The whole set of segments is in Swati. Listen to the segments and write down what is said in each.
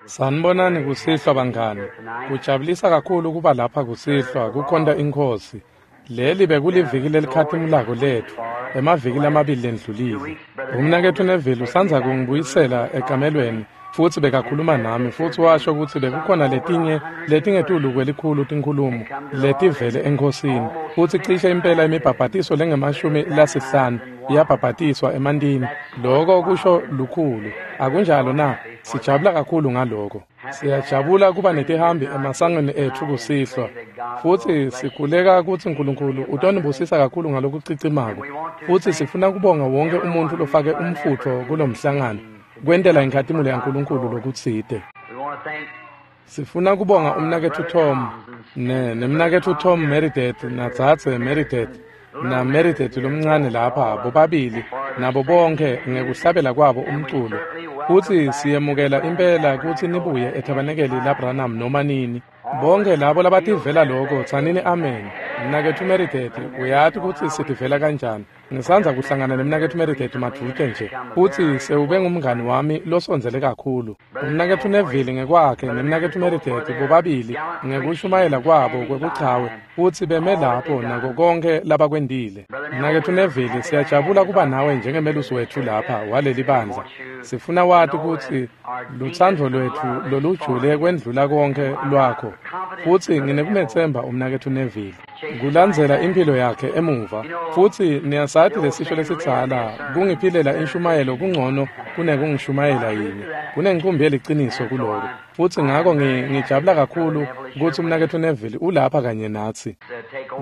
Sanibonani kusihlwa bangani. Kujabulisa kakhulu kuba lapha kusihlwa kukhonta iNkhosi. Leli bekuliviki lelikhatimulako letfu, emaviki lamabili lendlulile. Umnaketfu Neville usandza kungibuyisela ekamelweni futsi bekakhuluma nami futsi washo kutsi bekukhona letinye letingetulu kwelikhulu tinkhulumo letivele eNkhosini, futsi cishe impela imibhabhatiso lengama-50 iyabhabhatiswa emantini. Loko kusho lukhulu, akunjalo na? Sijabula kakhulu ngaloko. Siyajabula kuba netihambi emasangweni etfu kusihlwa, futsi sikhuleka kutsi Nkulunkulu utonibusisa kakhulu ngalokucicimako. Futsi sifuna kubonga wonke umuntfu lofake umfutfo kulomhlangano kwentela inkhatimulo yaNkulunkulu lokutsite. Sifuna kubonga umnaketfu Tom nemnaketfu Tom Meredith nadzadze Meredith na Meredith lomncane lapha, bobabili nabo bonke ngekuhlabela kwabo umculo. Futsi siyemukela impela kutsi nibuye ethabanekeli laBranham noma nini. Bonke labo labativela loko, tsanini amen. Mnaketfu Meredith, uyati kutsi sitivela kanjani. Ngisandza kuhlangana nemnaketfu Meredith madvute nje, futsi sewube ngumngani wami losondzele kakhulu. Umnaketfu Neville ngekwakhe nemnaketfu Meredith bobabili ngekushumayela kwabo kwekuchawe, futsi beme lapho nako konke labakwentile. Mnaketfu Neville, siyajabula kuba nawe njengemelusi wetfu lapha waleli bandla. Sifuna wati kutsi lutsandvo lwetfu lolujule kwendlula konke lwakho, futsi nginekumetsemba umnaketfu Neville kulandzela impilo yakhe emuva. Futsi niyasati lesisho lesidzala, kungiphilela inshumayelo kungcono kunekungishumayela yinye. Kunenkumbi yeliciniso kuloko. Futsi ngako ngijabula kakhulu kutsi umnaketfu Neville ulapha kanye natsi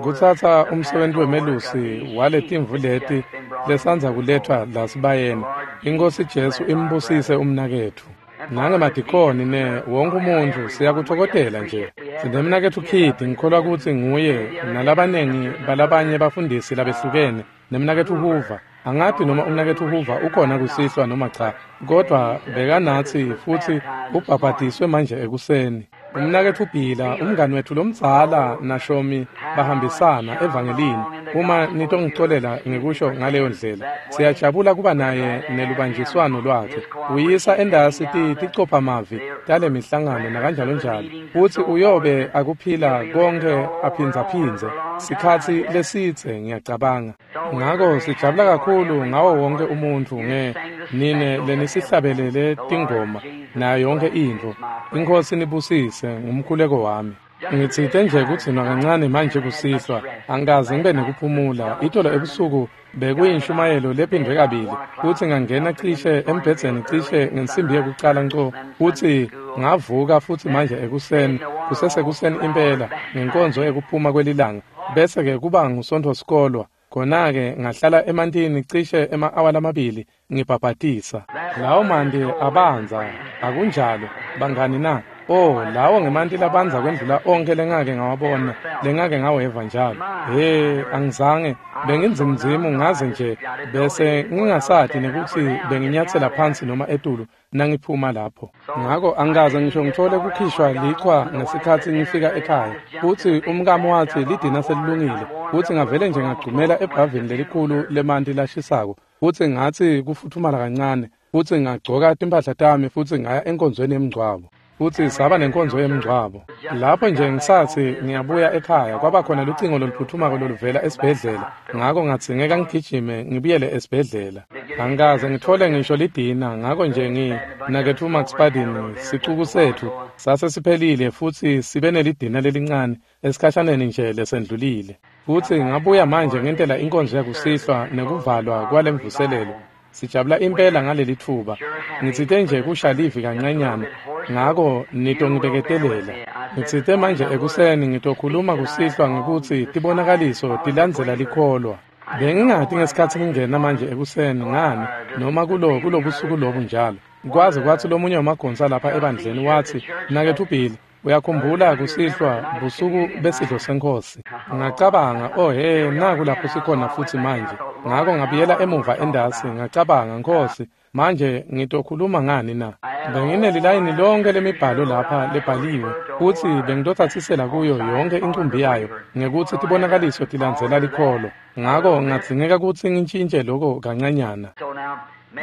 kutsatsa umsebenzi wemelusi waletimvu leti lesandza kuletfwa lasibayeni. Inkhosi Jesu imbusise umnaketfu nangemadikoni ne wonke umuntfu. Siyakutfokotela nje. Sinemnaketfu Kid, ngikholwa kutsi nguye, nalabanengi balabanye bafundisi labehlukene, nemnaketfu Hoover. Angati noma umnaketfu Hoover ukhona kusihlwa noma cha, kodvwa bekanatsi futsi ubhabhadiswe manje ekuseni. Umnaketfu Bhila, umngani wetfu lomdzala, naShomi bahambisana evangelini, uma nitongicolela ngekusho ngaleyo ndlela. Siyajabula kuba naye nelubanjiswano lwakhe. Uyisa endasi ticophamavi tale mihlangano nakanjalo njalo, futsi uyobe akuphila konke aphindzaphindze sikhatsi lesidze, ngiyacabanga. Ngako sijabula kakhulu ngawo wonke umuntfu nge nine lenisihlabelele tingoma nayo yonke intfo. Inkhosi nibusise, ngumkhuleko wami. Ngitsite nje kudzinwa kancane manje kusihlwa, angikaze ngibe nekuphumula. Itolo ebusuku bekuyinshumayelo lephindwe kabili, futsi ngangena cishe embhedzeni cishe ngensimbi yekucala nco, futsi ngavuka futsi manje ekuseni, kusesekuseni impela, ngenkonzo yekuphuma kwelilanga, bese-ke kuba ngusontfo sikolwa. Khona-ke ngahlala emantini cishe ema-awa lamabili ngibhabhatisa. Lawo manti abandza, akunjalo bangani na? Oh, lawo ngemanti labandza kwendlula onke lengake ngawabona, lengake ngaweva njalo. He, angizange benginzimnzimu ngaze nje bese ngingasati nekutsi benginyatsela phansi noma etulu nangiphuma lapho. Ngako angikaze ngisho ngithole kukhishwa lichwa ngesikhatsi ngifika ekhaya. Futsi umkami watsi lidina selilungile, futsi ngavele nje ngagcumela ebhavini lelikhulu lemanti lashisako, futsi ngatsi kufutfumala kancane, futsi ngagcoka timphahla tami futsi ngaya enkonzweni yemngcwabo. Futsi saba nenkonzo yemngcwabo. Lapho nje ngisatsi ngiyabuya ekhaya, kwaba khona lucingo loluphuthumako loluvela esibhedlela, ngako ngadzingeka ngigijime ngibuyele esibhedlela. Angikaze ngithole ngisho lidina, ngako nje mnaketfu McSpadden, sicuku setfu sase siphelile futsi sibe nelidina lelincane esikhashaneni nje lesendlulile. Futsi ngabuya manje ngentela inkonzo yakusihlwa nekuvalwa kwalemvuselelo. Sijabula impela ngaleli thuba. Ngitsite nje kusha livi kancanyana, ngako nitongibeketelela. Ngitsite manje ekuseni ngitokhuluma kusihlwa ngekutsi tibonakaliso tilandzela likholwa. Bengingati ngesikhatsi ngingena manje ekuseni ngani noma kulobusuku lobu njalo. Kwaze kwatsi lomunye wamagonsa lapha ebandleni watsi, mnaketfu Bill, uyakhumbula kusihlwa busuku besidlo seNkhosi. Ngacabanga, oh he, naku lapho sikhona futsi manje. Ngako ngabuyela emuva endasi, ngacabanga, Nkhosi, manje ngitokhuluma ngani na? Benginelilayini lonke lemibhalo lapha lebhaliwe, futsi bengitotsatsisela kuyo yonke incumbi yayo ngekutsi tibonakaliso tilandzela likholwa. Ngako ngadzingeka kutsi ngintjintje loko kancanyana.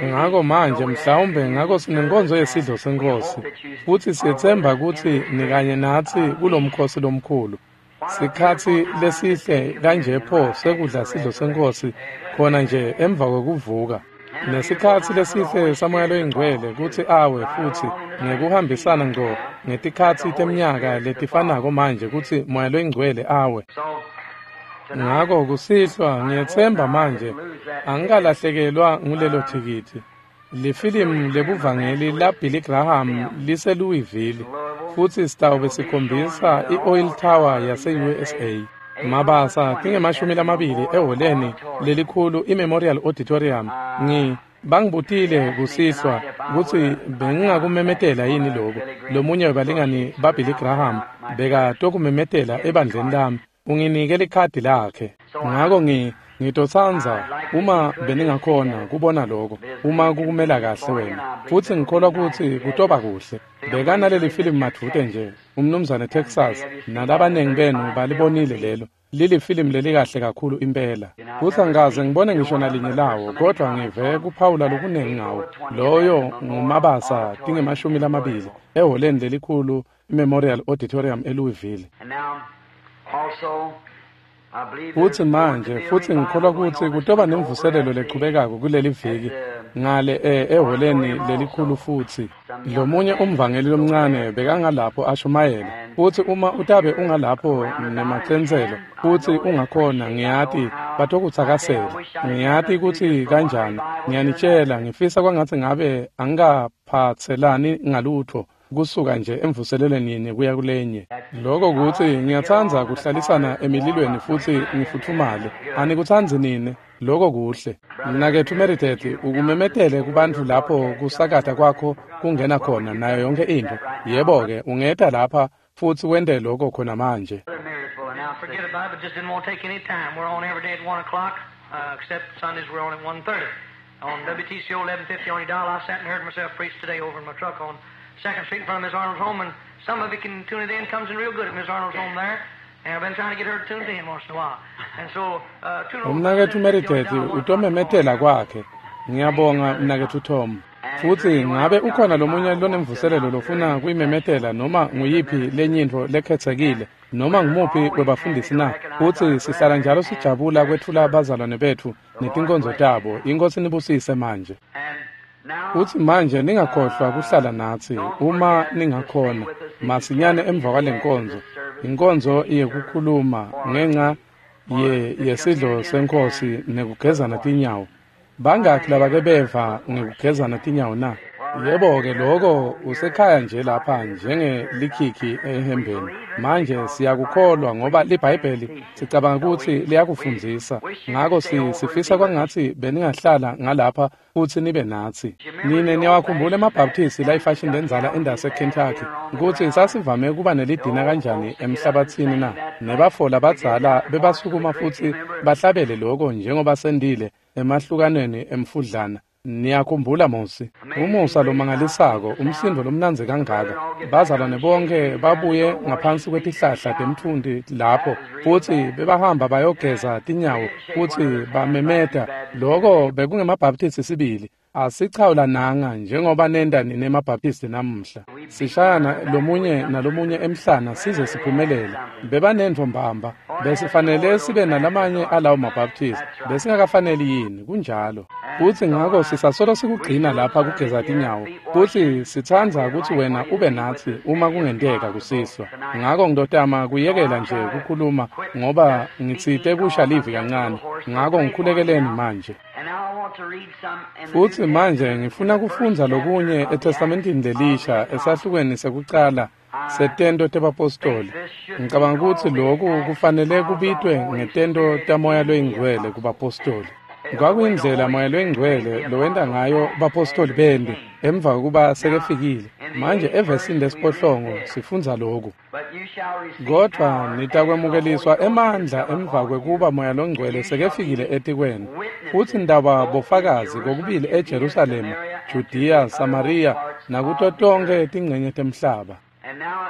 Ngako manje mhlawumbe ngako sinenkonzo yesidlo senkosi, futsi siyetsemba kutsi nikanye natsi kulomkhosi lomkhulu. Sikhatsi lesihle kanje pho sekudla sidlo senkosi khona nje emva kwekuvuka. Nesikhatsi lesihle saMoya loyiNgcwele kutsi awe futsi ngekuhambisana ngco ngetikhatsi teminyaka letifanako manje kutsi Moya loyiNgcwele awe. Ngako kusihlwa ngiyetsemba manje angikalahlekelwa ngulelo thikithi. Lifilimu lebuvangeli la Billy Graham lise-Louisville futsi sitawube sikhombisa i-Oil Tower yase-USA. Mabasa tinge-20 ehholeni lelikhulu i-Memorial Auditorium. Bangibutile kusihlwa kutsi bengingakumemetela yini lokho. Lomunye webalingani ba-Billy Graham bekatokumemetela ebandleni lami. Unginike likhadi lakhe. Ngako ngitotsandza uma beningakhona kubona lokho, uma kukumela kahle wena. Futsi ngikholwa kutsi kutoba kuhle. Bekanaleli filimu madvute nje, umnumzane Texas, nalabanengi benu balibonile lelo. Lili filimu lelikahle kakhulu impela. Futsi angikaze ngibone ngisho nalinye lawo, kodwa ngive kuphawula lokunengi ngawo. Loyo ngumabasa tinge-20 ehholeni lelikhulu iMemorial Auditorium eLouisville. Futsi manje futsi ngikholwa kutsi kutoba nemvuselelo lechubekako kuleli viki ngale ehholeni lelikhulu futsi. Lomunye umvangeli lomncane bekangalapho ashumayela, futsi uma utabe ungalapho nemacentselo futsi ungakhona, ngiyati batokutsakasela. Ngiyati kutsi kanjani, ngiyanitshela, ngifisa kwangatsi ngabe angikaphatselani ngalutho kusuka nje emvuselelweni yinye kuya kulenye. Lokho kutsi ngiyatsandza kuhlalisana emililweni futsi ngifutfumale. Anikutsandzi nine? Lokho kuhle. Mnaketfu Meredith, ukumemetele kubantfu lapho kusakata kwakho kungena khona nayo yonke intfo. Yebo-ke, ungeta lapha futsi wente lokho khona manje. Forget about it, but just didn't want to take any time. We're on every day at 1 o'clock, except Sundays we're on at 1:30. On WTCO 1150 on your dial, I sat and heard myself preach today over in my truck on 2nd Street in front of Ms. Arnold's home, and some of you can tune it in, comes in real good at Ms. Arnold's home there. And I've been trying to get her to tune it in once in a while. And so, tune over. Umnaketfu Meredith utomemetela kwakhe. Ngiyabonga mnaketfu Tom. Futsi ngabe ukhona lomunye lonemvuselelo lofuna kuyimemetela noma nguyiphi lenye intfo lekhetsekile noma ngumuphi webafundisi na? Futsi sihlala njalo sijabula kwetfula bazalwane betfu netinkonzo tabo. Inkosi nibusise manje. Futsi manje ningakhohlwa kuhlala natsi uma ningakhona masinyane emva kwalenkonzo. Inkonzo yekukhuluma ngenxa yesidlo senkosi nekugezana tinyawo. Bangakhi labake beva ngekugezana tinyawo na? Yebo-ke, lokho usekhaya nje lapha njengelikhikhi ehembeni. Manje siyakukholwa ngoba liBhayibheli sicabanga kutsi liyakufundzisa. Ngako sifisa kwangatsi beningahlala ngalapha futsi nibe natsi. Nine niyawakhumbula emaBaptisti layifashini lendzala endase Kentucky kutsi sasivame kuba nelidina kanjani emhlabatsini na? Nebafo labadzala bebasukuma futsi bahlabele lokho njengoba sendile emahlukaneni emfudlana. Niyakhumbula Mosi, umusa lomangalisako, umsindo lomnandzi kangaka. Bazalwane bonke babuye ngaphansi kwetihlahla temtfunti lapho futsi bebahamba bayogeza tinyawo futsi bamemeta. Lokho bekungemabhaptisti sibili. Asichawulananga njengoba nenda nine emabhaptisti namuhla. Sishayana lomunye nalomunye emhlana size siphumelele. Bebanentfo mbamba. Besifanele sibe nalamanye alawo mabhaptisti. Besingakafaneli yini? Kunjalo. Futsi ngako sisasolo sikugcina lapha kugeza tinyawo. Futsi sitsandza kutsi wena ube natsi uma kungenteka kusihlwa. Ngako ngitotama kuyekela nje kukhuluma ngoba ngitsite kusha livi kancane. Ngako ngikhulekeleni manje. Futsi manje ngifuna kufundza lokunye eTestamentini lelisha esahlukweni sekucala setento tebapostoli. Ngicabanga kutsi loku kufanele kubitwe ngetento taMoya loyiNgcwele kubapostoli. Kwakuyindlela Moya loyiNgcwele lowenta ngayo bapostoli bende emva kokuba sekefikile. Manje evesini lesiphohlongo sifundza loku. Kodvwa nitakwemukeliswa emandla emva kwekuba Moya loNgcwele sekefikile etikwenu. Futsi nitaba bofakazi kokubili eJerusalema, Judiya, Samariya nakuto tonkhe tincenye temhlaba.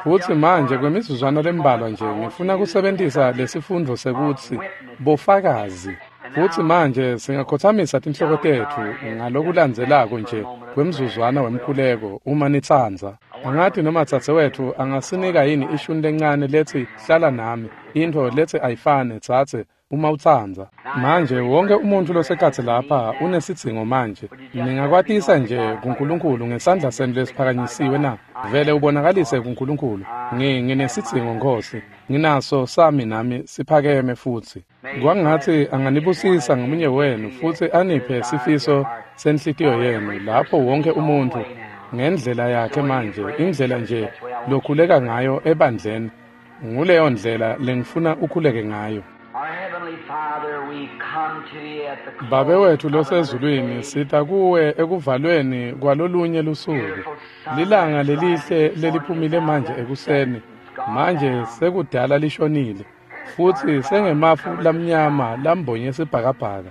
Futsi manje kwemizuzwana lembalwa nje ngifuna kusebentisa lesifundvo sekutsi bofakazi. Futsi manje singakhothamisa tinhloko tetfu ngalokulandzelako nje kwemzuzwana wemkhuleko uma nitsandza. Angati noma dzadzewetfu angasinika yini ishuni lencane letsi hlala nami, intfo letsi ayifane dzadze uma utsandza. Manje wonke umuntfu losekhatsi lapha unesidzingo manje. Ningakwatisa nje kuNkulunkulu ngesandla senu lesiphakanyisiwe na? Vele ubonakalise kuNkulunkulu. Nginesidzingo Nkhosi. Nginaso sami nami siphakeme futsi. Kwangatsi anganibusisa ngamunye wenu futsi aniphe sifiso senhlitiyo yenu lapho wonke umuntfu ngendlela yakhe manje, indlela nje lokhuleka ngayo ebandleni, nguleyo ndlela lengifuna ukhuleke ngayo. Babe wetfu losezulwini, sita kuwe ekuvalweni kwalolunye lusuku. Lilanga lelihle leliphumile manje ekuseni, manje sekudala lishonile, futsi sengemafu lamnyama lambonye sibhakabhaka.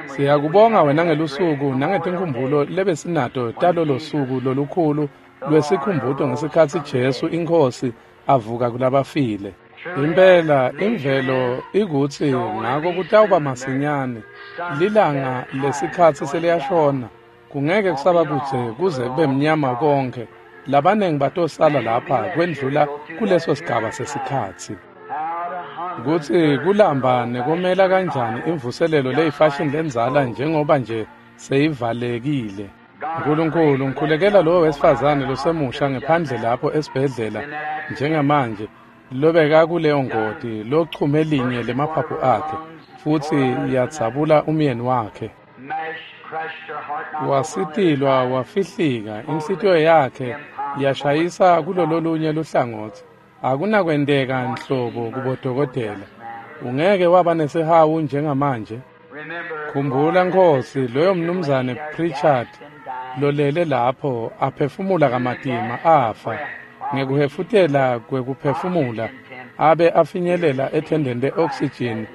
Siyakubonga wena ngelusuku nangetinkhumbulo lebesinato talolo suku lolukhulu lwesikhumbuto ngesikhatsi Jesu iNkhosi avuka kulabafile. Impela imvelo ikutsi ngako kutawuba masinyane. Lilanga lesikhatsi seliyashona, kungeke kusaba kudze kuze kube mnyama konke. Labanengi batosala lapha kwendlula kuleso sigaba sesikhatsi. Kutsi kulamba nekomela kanjani imvuselelo leyifashini lendzala njengoba nje seyivalekile. Nkulunkulu, ngikhulekela lowo wesifazane losemusha ngephandle lapho esibhedlela njengamanje lobeka kuleyo ngoti lochume linye lemaphaphu akhe futsi yadzabula umyeni wakhe. Wasitilwa wafihlika, inhlitiyo yakhe yashayisa kulololunye luhlangotsi. Akunakwenteka nhlobo kubodokotela. Ungeke waba nesihawu njengamanje. Khumbula Nkhosi, loyo mnumzane Pritchard lolele lapho aphefumula kamatima afa ngekuhefutela kwekuphefumula abe afinyelela ethendeni le-oxygen,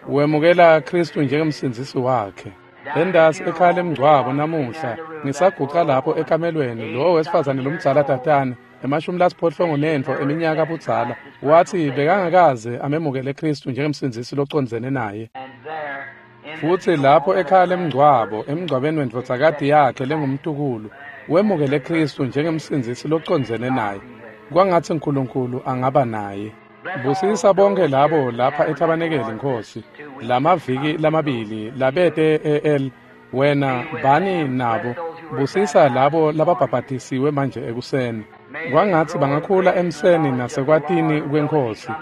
wemukela Khristu njengemsindzisi wakhe. Endasi ekhaya lemngcwabo namuhla ngisaguca lapho ekamelweni lowo wesifazane lomdzala tatane 89 eminyaka budzala wathi bekangakaze amemukele Khristu njengemsindzisi locondzene naye. Futsi lapho ekhaya lemngcwabo emngcwabeni wendvodzakati yakhe lengumtukulu wemukele Khristu njengemsindzisi locondzene naye. Kwangatsi uNkulunkulu angaba naye. Busisa bonke labo lapha ethabanekeli Nkhosi, lamaviki lamabili labete el wena bani nabo. Busisa labo lababhabhatisiwe manje ekuseni. Kwangatsi bangakhula emseni nasekwatini kweNkhosi,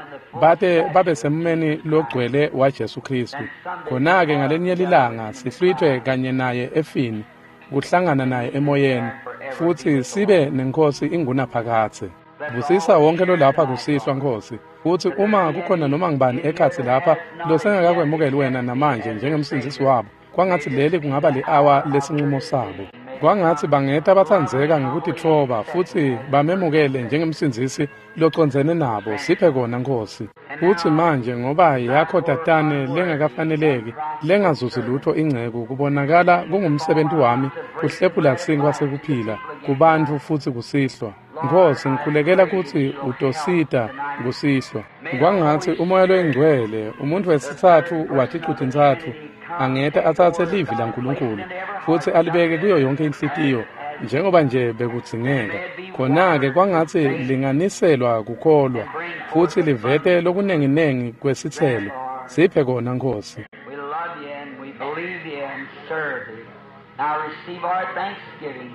bate babe semmeni logcwele waJesu Khristu. Khona-ke ngalenye lilanga sihlwithwe kanye naye efini, kuhlangana naye emoyeni, futsi sibe neNkhosi ingunaphakadze. Busisa wonke lolapha kusihlwa Nkhosi, futsi uma kukhona noma ngibani ekhatsi lapha losengakakwemukeli wena namanje njengemsindzisi wabo, kwangatsi leli kungaba li-awa lesinqumo sabo. Kwangatsi bangeta batsandzeka ngekutitfoba futsi bamemukele njengemsindzisi locondzene nabo. Siphe kona Nkhosi. Futsi manje ngoba yakho tatane lengakafaneleki lengazuzi lutho ingceku, kubonakala kungumsebenti wami kuhlephula sinkwa sekuphila kubantfu futsi kusihlwa. Nkhosi, ngikhulekela kutsi utosita kusihlwa. Kwangatsi umoya loyingcwele, umuntfu wesitsatfu waticu-tintsatfu, angeta atsatse livi laNkulunkulu futsi alibeke kuyo yonke inhlitiyo njengoba nje bekudzingeka. Khona-ke kwangatsi linganiselwa kukholwa futsi livete lokunenginengi kwesitselo. Siphe kona Nkhosi. We love you and we believe you and serve you. Now receive our thanksgiving,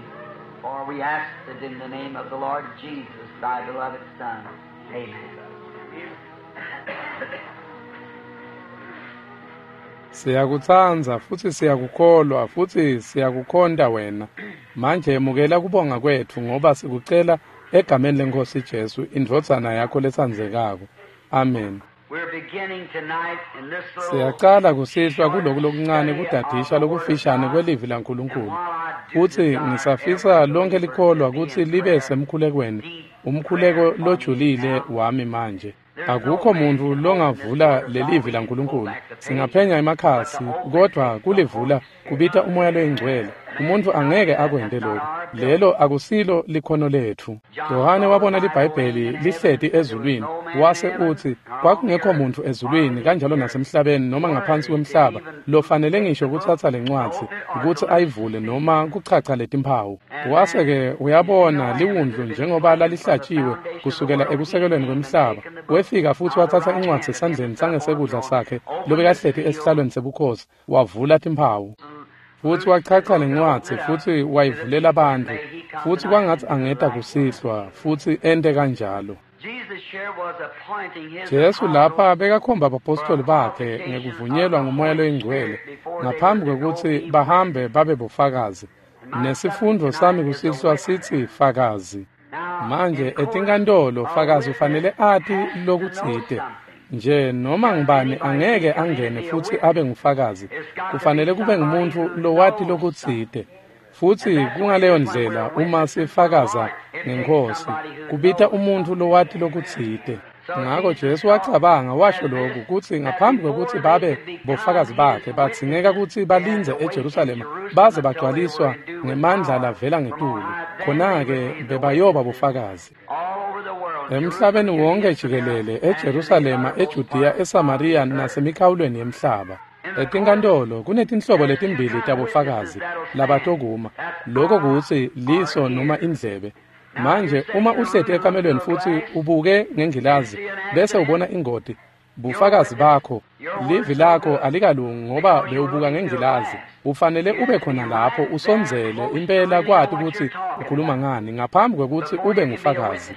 for we ask it in the name of the Lord Jesus, thy beloved Son. Amen. Siyakutsandza futsi siyakukholwa futsi siyakukhonta wena. Manje emukela kubonga kwetfu ngoba sikucela egameni leNkhosi Jesu, indvodzana yakho letsandzekako. Amen. We're beginning tonight in this little Siyacala kusihlwa kuloku lokuncane kudadisha lokufishane kwelivi laNkulunkulu. Futsi ngisafisa lonke likholwa kutsi libe semkhulekweni, umkhuleko lojulile wami manje. Akukho muntfu longavula lelivi laNkulunkulu. Singaphenya emakhasi, kodvwa kulivula Kubita uMoya loyiNgcwele. Umuntu angeke akwente lokho. Lelo akusilo likhono letfu. Yohane wabona liBhayibheli lihleti ezulwini, wase utsi kwakungekho muntfu ezulwini kanjalo nasemhlabeni noma ngaphansi kwemhlaba lofanele ngisho kutsatsa lencwadzi kutsi ayivule noma kuchacha letimphawu. Wase-ke uyabona liwundlu njengoba lalihlatshiwe kusukela ekusekelweni kwemhlaba, wefika futsi watsatsa incwadzi esandleni sangesekudla sakhe lobekahleti esihlalweni sebukhosi, wavula timphawu. Futsi wachacha lencwadzi futsi wayivulela bantfu, futsi kwangatsi angeta kusihlwa futsi ente kanjalo. Jesu lapha bekakhomba abapostoli bakhe ngekuvunyelwa nguMoya loyiNgcwele ngaphambi kwekutsi bahambe babe bofakazi. Nesifundvo sami kusihlwa sitsi fakazi. Manje etinkantolo fakazi ufanele ati lokutsite. Nje noma ngubani angeke angene futsi abe ngufakazi. Kufanele kube ngumuntu lowati lokutsite. Futsi kungaleyo ndlela uma sifakaza ngeNkhosi, kubita umuntu lowati lokutsite. Ngako Jesu wacabanga washo lokhu kutsi ngaphambi kwekutsi babe bofakazi bakhe badzingeka kutsi balindze eJerusalema baze bagcwaliswa ngemandla lavela ngetulu, khona-ke bebayoba bofakazi. Emhlabeni wonke jikelele, eJerusalema, eJudiya, eSamariya nasemikhawulweni yemhlaba. Etinkantolo kunetinhlobo letimbili tabofakazi labatokuma, lokho kutsi liso noma indlebe. Manje uma uhleti ekamelweni futsi ubuke ngengilazi bese ubona ingoti, bufakazi bakho, livi lakho alikalungi ngoba bewubuka ngengilazi. Ufanele ube khona lapho usondzele impela kwati kutsi ukhuluma ngani ngaphambi kwekutsi ube ngufakazi.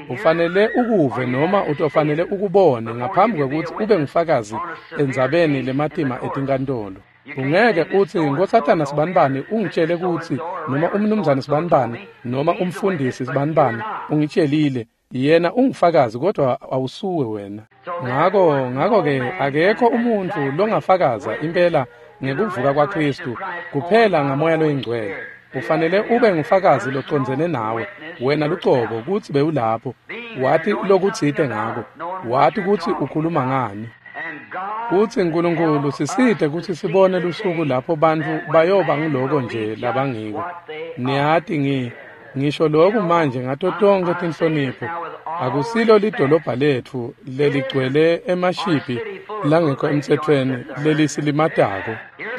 Ufanele ukuve noma utofanele ukubone ngaphambi kwekutsi ube ngufakazi endzabeni lematima etinkantolo. Ungeke utsi Nkosatana Sibanibani ungitshele kutsi noma umnumzane Sibanibani noma umfundisi Sibanibani ungitshelile, yena ungufakazi kodwa awusuwe wena. Ngako-ke akekho umuntfu longafakaza impela ngekuvuka kwaKhristu kuphela ngaMoya loyiNgcwele. Ufanele ube ngufakazi locondzene nawe wena lucobo kutsi bewulapho, wati lokutsite ngako, wati kutsi ukhuluma ngani. Kutsi Nkulunkulu sisite kutsi sibone lusuku lapho bantfu bayoba ngiloko nje labangiko. Niyati ngisho lokhu manje ngato tonkhe tinhlonipho, akusilo lidolobha letfu leligcwele emashibhi langekho emtsetfweni lelisilimatako.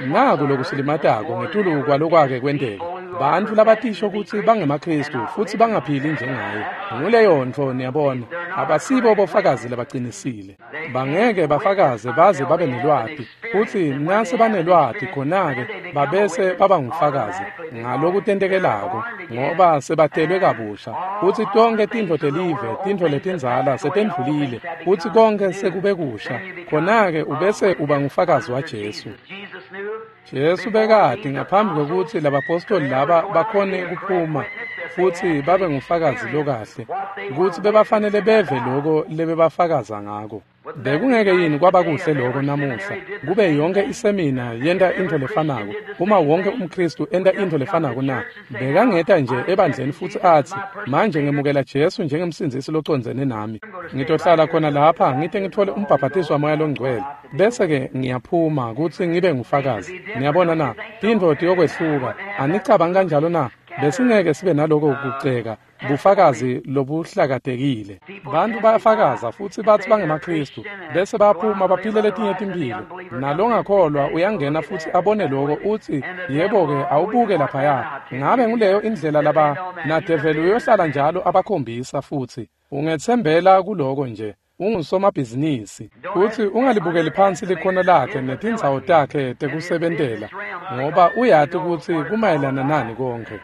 Naku lokusilimatako ngetulu kwalokwake kwenteka. Bantfu labatisho kutsi bangemaKhristu futsi bangaphili njengaye. Nguleyo ntfo niyabona, abasibo bofakazi labacinisile. Bangeke bafakaze baze babe nelwati, futsi nase banelwati khona-ke babese baba ngufakazi ngalokutentekelako ngoba sebatelwe kabusha. Futsi tonkhe tintfo telive, tintfo letindzala setendlulile, futsi konkhe sekube kusha. Khona-ke ubese uba ngufakazi waJesu. Jesu bekati ngaphambi kwekutsi labapostoli laba bakhone kuphuma futsi babe ngufakazi lokahle, kutsi bebafanele beve loko lebebafakaza ngako. Bekungeke yini kwaba kuhle loko namuhla kube yonke isemina yenta intfo lefanako, uma wonke umKhristu enta intfo lefanako na? Bekangeta nje ebandleni futsi atsi, manje ngemukela Jesu njengemsindzisi locondzene nami, ngitohlala khona lapha ngite ngitfole umbhaphatiso waMoya loNgcwele, bese-ke ngiyaphuma kutsi ngibe ngufakazi. Niyabona na? Tintfo tiyokwehluka. Anicabangi kanjalo na? Besingeke sibe naloko kuceka, bufakazi lobuhlakatekile. Bantfu bayafakaza futsi batsi bangemaKhristu, bese bayaphuma baphile letinye timphilo. Nalongakholwa uyangena futsi abone loko utsi, yebo-ke awubuke laphaya. Ngabe nguleyo indlela laba nadeveli uyohlala njalo abakhombisa futsi. Ungetsembela kuloko nje. Ungusomabhizinisi futsi ungalibukeli phansi likhono lakhe netindzawo takhe tekusebentela, ngoba uyati kutsi kumayelana nani konke.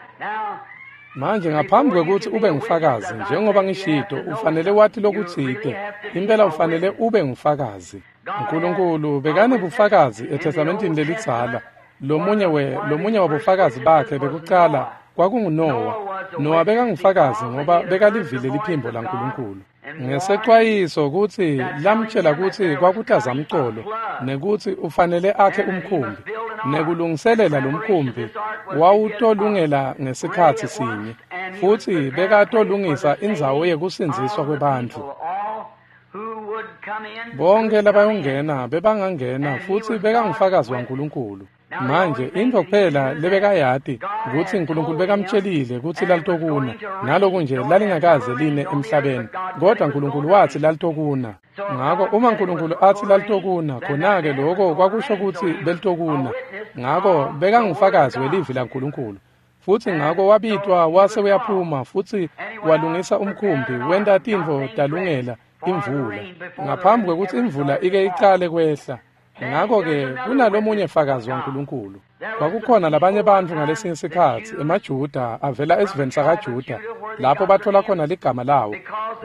Manje ngaphambi kwekutsi ube ngufakazi, njengoba ngishito, ufanele wati lokutsite. Impela ufanele ube ngufakazi. Nkulunkulu bekanebufakazi eTestamentini lelidzala. Lomunye wabofakazi bakhe bekucala kwakunguNowa. Nowa bekangufakazi ngoba bekalivile liphimbo laNkulunkulu. Ngesecwayiso kutsi lamtshela kutsi kwakutazamcolo nekutsi ufanele akhe umkhumbi, nekulungiselela lomkhumbi wawutolungela ngesikhatsi sinye, futsi bekatolungisa indzawo yekusindziswa kwebantfu. Bonke labayongena bebangangena futsi bekangufakazi waNkulunkulu. Manje intfo kuphela lebekayati kutsi Nkulunkulu bekamtshelile kutsi lalitokuna, naloku nje lalingakaze line emhlabeni, kodwa Nkulunkulu watsi lalitokuna. Ngako uma Nkulunkulu atsi lalitokuna, khona-ke loko kwakusho kutsi belitokuna. Ngako bekangufakazi welivi laNkulunkulu. Futsi ngako wabitwa wase uyaphuma futsi walungisa umkhumbi, wenta tintfo talungela imvula ngaphambi kwekutsi imvula ike icale kwehla. Ngako-ke kunalomunye fakazi waNkulunkulu. Kwakukhona labanye bantfu ngalesinye sikhatsi, emaJuda avela esiveni sakaJuda, lapho batfola khona ligama lawo,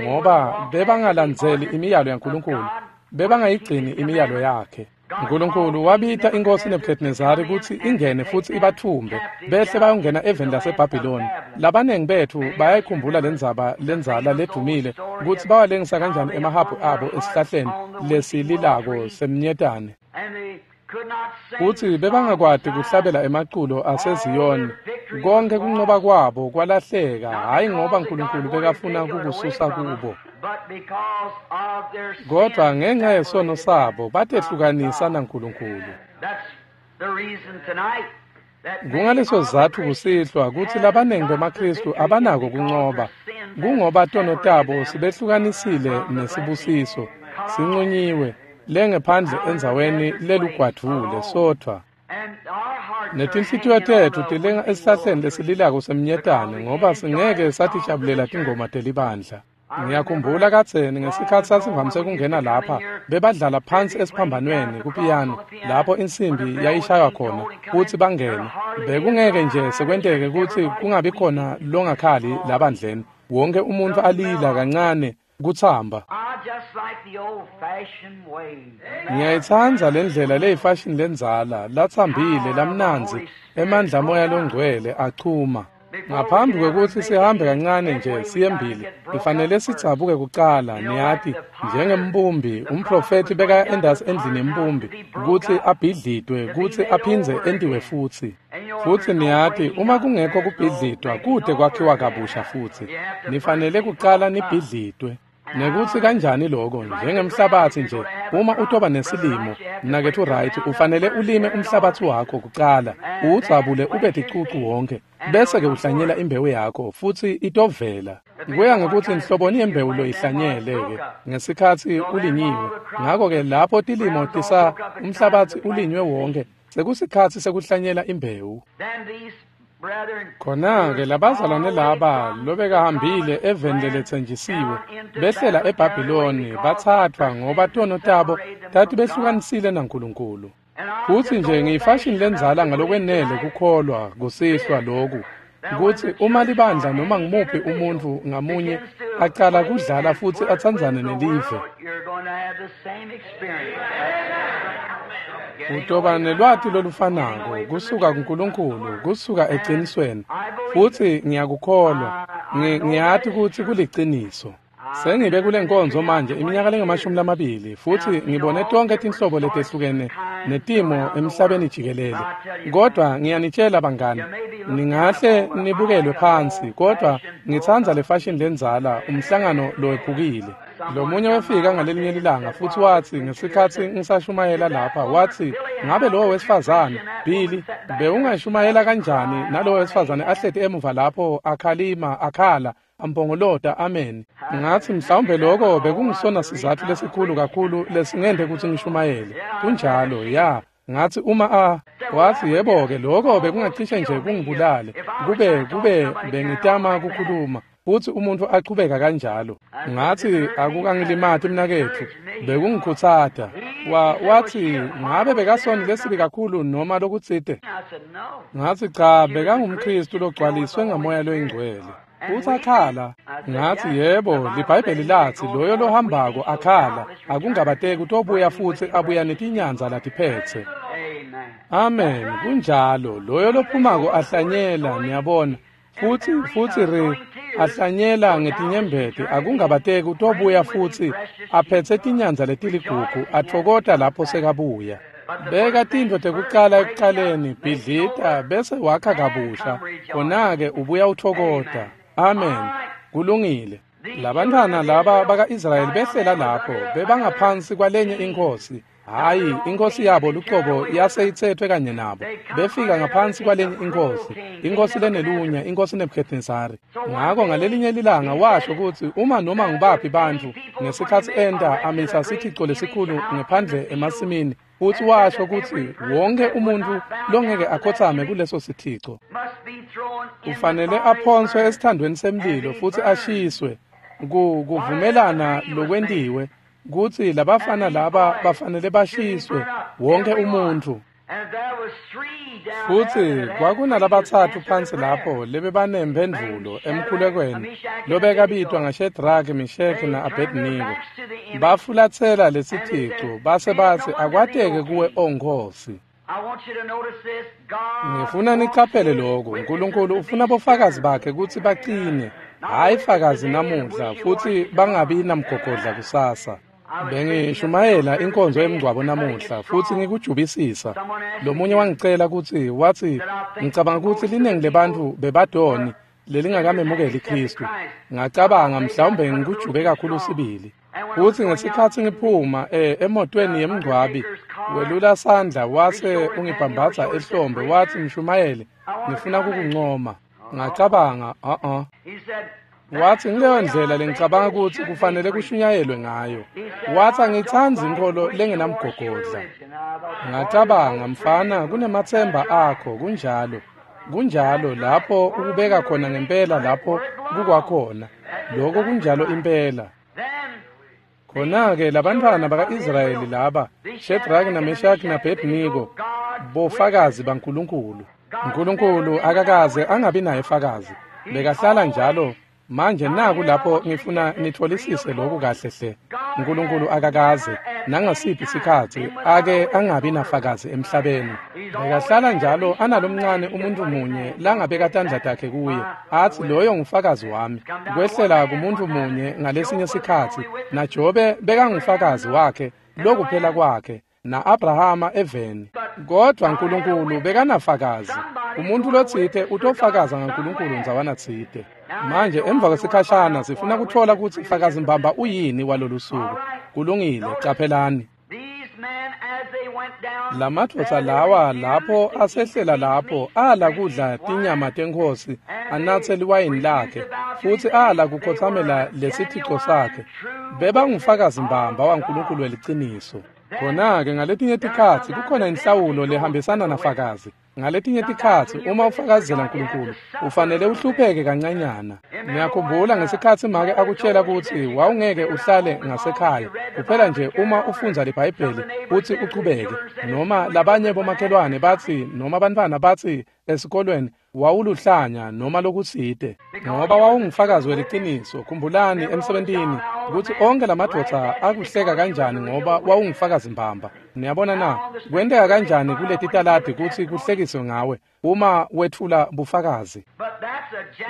ngoba bebangalandzeli imiyalo yaNkulunkulu, bebangayigcini imiyalo yakhe. Nkulunkulu wabita inkosi Nebuchadnezzari kutsi ingene futsi ibatfumbe, behle bayongena eveni laseBhabhiloni. Labanengi betfu bayayikhumbula lendzaba lendzala ledumile kutsi bawalengisa kanjani emahabhu abo esihlahleni lesililako semnyetane. Futsi bebangakwati kuhlabela emaculo aseZiyoni. Konkhe kuncoba kwabo kwalahleka, hhayi ngoba Nkulunkulu bekafuna kukususa kubo, kodwa ngenxa yesono sabo batehlukanisa naNkulunkulu. Kungaleso sizatfu kusihlwa kutsi labanengi bemaKhristu abanako kuncoba, kungoba tono tabo sibehlukanisile nesibusiso, sincunyiwe lengephandle endzaweni lelugwadvule sodvwa. Netinhlitiyo tetfu tilenga esihlahleni lesililako semnyetane, ngoba singeke satijabulela tingoma telibandla. Ngiyakhumbula kadzeni ngesikhatsi sasivamise kungena lapha, bebadlala phansi esiphambanweni kupiyano lapho insimbi yayishaywa khona kutsi bangene. Bekungeke nje sekwenteke kutsi kungabi khona longakhali labandleni, wonke umuntu alila kancane kutsamba. Ngiyayitsandza lendlela leyifashini lendzala, latsambile, lamnandzi, emandla amoya longcwele achuma. Ngaphambi kwekutsi sihambe kancane nje siyembili, kufanele sidzabuke kucala, niyati, njengembumbi, umprofethi bekaya endasi endlini yembumbi kutsi abhidlitwe, kutsi aphindze entiwe futsi. Futsi niyati, uma kungekho kubhidlitwa, kute kwakhiwa kabusha futsi. Nifanele kucala nibhidlitwe. Nekutsi kanjani lokho, njengemhlabatsi nje, uma utoba nesilimo, mnaketfu Wright, ufanele ulime umhlabatsi wakho kucala, uwudzabule ube ticucu wonke, bese-ke uhlanyela imbewu yakho, futsi itovela. Kuya ngekutsi nhloboni yembewu loyihlanyele-ke ngesikhatsi ulinyiwe. Ngako-ke lapho tilimo tisa umhlabatsi ulinywe wonke, sekusikhatsi sekuhlanyela imbewu. Khona-ke labazalwane laba lobekahambile eveni leletsenjisiwe behlela eBhabhiloni batsatfwa ngoba tono tabo tatibehlukanisile naNkulunkulu. Futsi nje ngiyifashini lendzala ngalokwenele kukholwa kusihlwa loku, kutsi uma libandla noma ngumuphi umuntfu ngamunye acala kudlala futsi atsandzane nelive, utoba nelwati lolufanako kusuka kuNkulunkulu, kusuka eqinisweni. Futsi ngiyakukholwa, ngiyati kutsi kuliciniso. Sengibe kule nkonzo manje iminyaka lengamashumi futsi ngibone tonke tinhlobo letehlukene netimo emhlabeni jikelele. Kodwa ngiyanitshela bangani, ningahle nibukelwe phansi, kodwa ngitsandza le fashion lendzala, umhlangano lowephukile. Lomunye wefika ngalelinye ilanga futsi watsi ngesikhatsi ngisashumayela lapha, watsi ngabe lowo wesifazane Billy bewungashumayela kanjani nalowo wesifazane ahleti emuva lapho akhalima akhala ampongolota amen. Ngathi mhlawumbe lokho bekungisona sizatfu lesikhulu kakhulu lesingente kutsi ngishumayele. Kunjalo ya. Ngathi uma wathi yebo-ke lokho bekungacishe nje kungibulale kube bengitama kukhuluma futhi umuntu achubeka kanjalo. Ngathi akukangilimati mnaketfu, bekungikhutsata. Wathi ngabe bekasoni lesibi kakhulu noma lokutsite? Ngathi cha, bekangumKhristu logcwaliswe ngamoya loyingcwele. Futhi akhala. Ngathi yebo, liBhayibheli lathi loyo lohambako akhala akungabateki utobuya futsi abuya netinyanza latiphetse. Amen, kunjalo. Loyo lophumako ahlanyela, niyabona. Futsi ahlanyela ngetinyembeti akungabateki utobuya futsi aphetse tinyanza letiligugu atfokota lapho sekabuya. Beka tintfo tekucala ekucaleni, bhidlita bese wakha kabusha, khona-ke ubuya utfokota. Amen. Kulungile. Labantwana laba baka-Israyeli behlela lapho bebangaphansi kwalenye inkosi. Hhayi, inkosi yabo lucobo yase itsethwe kanye nabo. Befika ngaphansi kwalenye inkosi, inkosi lenelunya, inkosi Nebuchadnezzar. Ngako ngalelinye lilanga washo kutsi uma noma ngubaphi bantfu ngesikhatsi enta amisa sithico lesikhulu ngephandle emasimini, futsi washo kutsi wonke umuntfu longeke akhotsame kuleso sithico ufanele aphonswe esithandweni semlilo futsi ashiswe. Kuvumelana lokwentiwe kutsi labafana laba bafanele bashiswe wonke umuntfu. Futsi kwakunalabatsatfu phansi lapho lebebanemphendvulo emkhulekweni lobekabitwa ngaShadrach, Meshach na-Abednego. Bafulatsela lesithico base batsi akwateke kuwe o Nkhosi. Ngifuna nicaphele lokhu. Nkulunkulu ufuna bofakazi bakhe kutsi bacine, hhayi fakazi namuhla futsi bangabi namgogodla kusasa. Bengishumayela inkonzo yemngcwabo namuhla futsi ngikujubisisa. Lomunye wangicela kutsi watsi ngicabanga kutsi linengi lebantfu bebadoni lelingakamemukeli Kristu. Ngacabanga mhlawumbe ngikujube kakhulu sibili. Futsi ngesikhatsi ngiphuma emotweni yemngcwabi, welula sandla wase ungibhambadza ehlombe watsi mshumayeli ngifuna kukuncoma. Ngacabanga Wathi ngileyo ndlela lengicabanga kutsi kufanele kushunyayelwe ngayo. Wathi angitsandzi inkholo lengenamgogodla. Ngacabanga mfana kunemathemba akho kunjalo. Kunjalo lapho ukubeka khona ngempela lapho kukwakhona. Lokho kunjalo impela. Khona-ke labantfwana baka-Israyeli laba, Shadrach naMeshach naAbednego, bofakazi baNkulunkulu. Nkulunkulu akakaze angabi naye fakazi. Bekahlala njalo. Manje naku lapho ngifuna nitholisise lokhu kahle hle. Nkulunkulu akakaze nangasiphi isikhatsi ake angabi nafakazi emhlabeni. Bekahlala njalo analomncane umuntu munye langabeka tandla takhe kuye athi loyo ngufakazi wami. Kwehlela kumuntu munye ngalesinye sikhatsi naJobe bekangufakazi wakhe lokuphela kwakhe na-Abrahama eveni. Kodwa Nkulunkulu bekanafakazi. Umuntu lotsite utofakaza ngaNkulunkulu ndzawana tsite. Manje emva kwesikhashana sifuna kuthola kutsi fakazi mbamba uyini walolu suku. Kulungile, caphelani. Lamadvodza lawa lapho asehlela lapho ala kudla tinyama tenkhosi anatse liwayini lakhe futsi ala kukhotsamela lesithico sakhe. Bebangufakazi mbamba waNkulunkulu weliciniso. Khona-ke ngaletinye tikhatsi kukhona inhlawulo lehambisana nafakazi. Ngaletinye tikhatsi uma ufakazela Nkulunkulu ufanele uhlupheke kancanyana. Ngiyakhumbula ngesikhatsi make akutshela kutsi wawungeke uhlale ngasekhaya kuphela nje uma ufundza liBhayibheli utsi uchubeke, noma labanye bomakhelwane batsi noma bantfwana batsi esikolweni wawuluhlanya noma lokutsite, ngoba wawungufakazi weliciniso. Khumbulani emsebentini kutsi onke lamadvodza akuhleka kanjani ngoba wawungufakazi mbamba. Niyabona na kwenteka kanjani kuleti taladi kutsi kuhlekiswe ngawe uma wetfula bufakazi.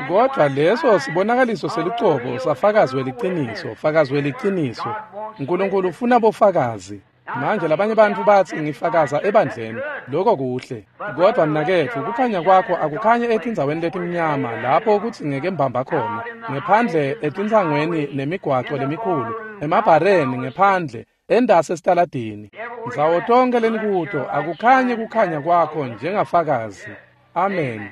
Kodwa leso sibonakaliso selucobo safakazi weliciniso, fakazi weliciniso. Nkulunkulu ufuna bofakazi. Manje labanye bantfu batsi ngifakaza ebandleni, lokho kuhle. Kodwa mnaketfu kukhanya kwakho akukhanye etindzaweni letimnyama lapho kudzingeke mbamba khona, ngephandle etintsangweni nemigwaco lemikhulu, emabhareni ngephandle, endase esitaladini. Ndzawo tonke lenikuto akukhanye kukhanya kwakho njengafakazi. Amen.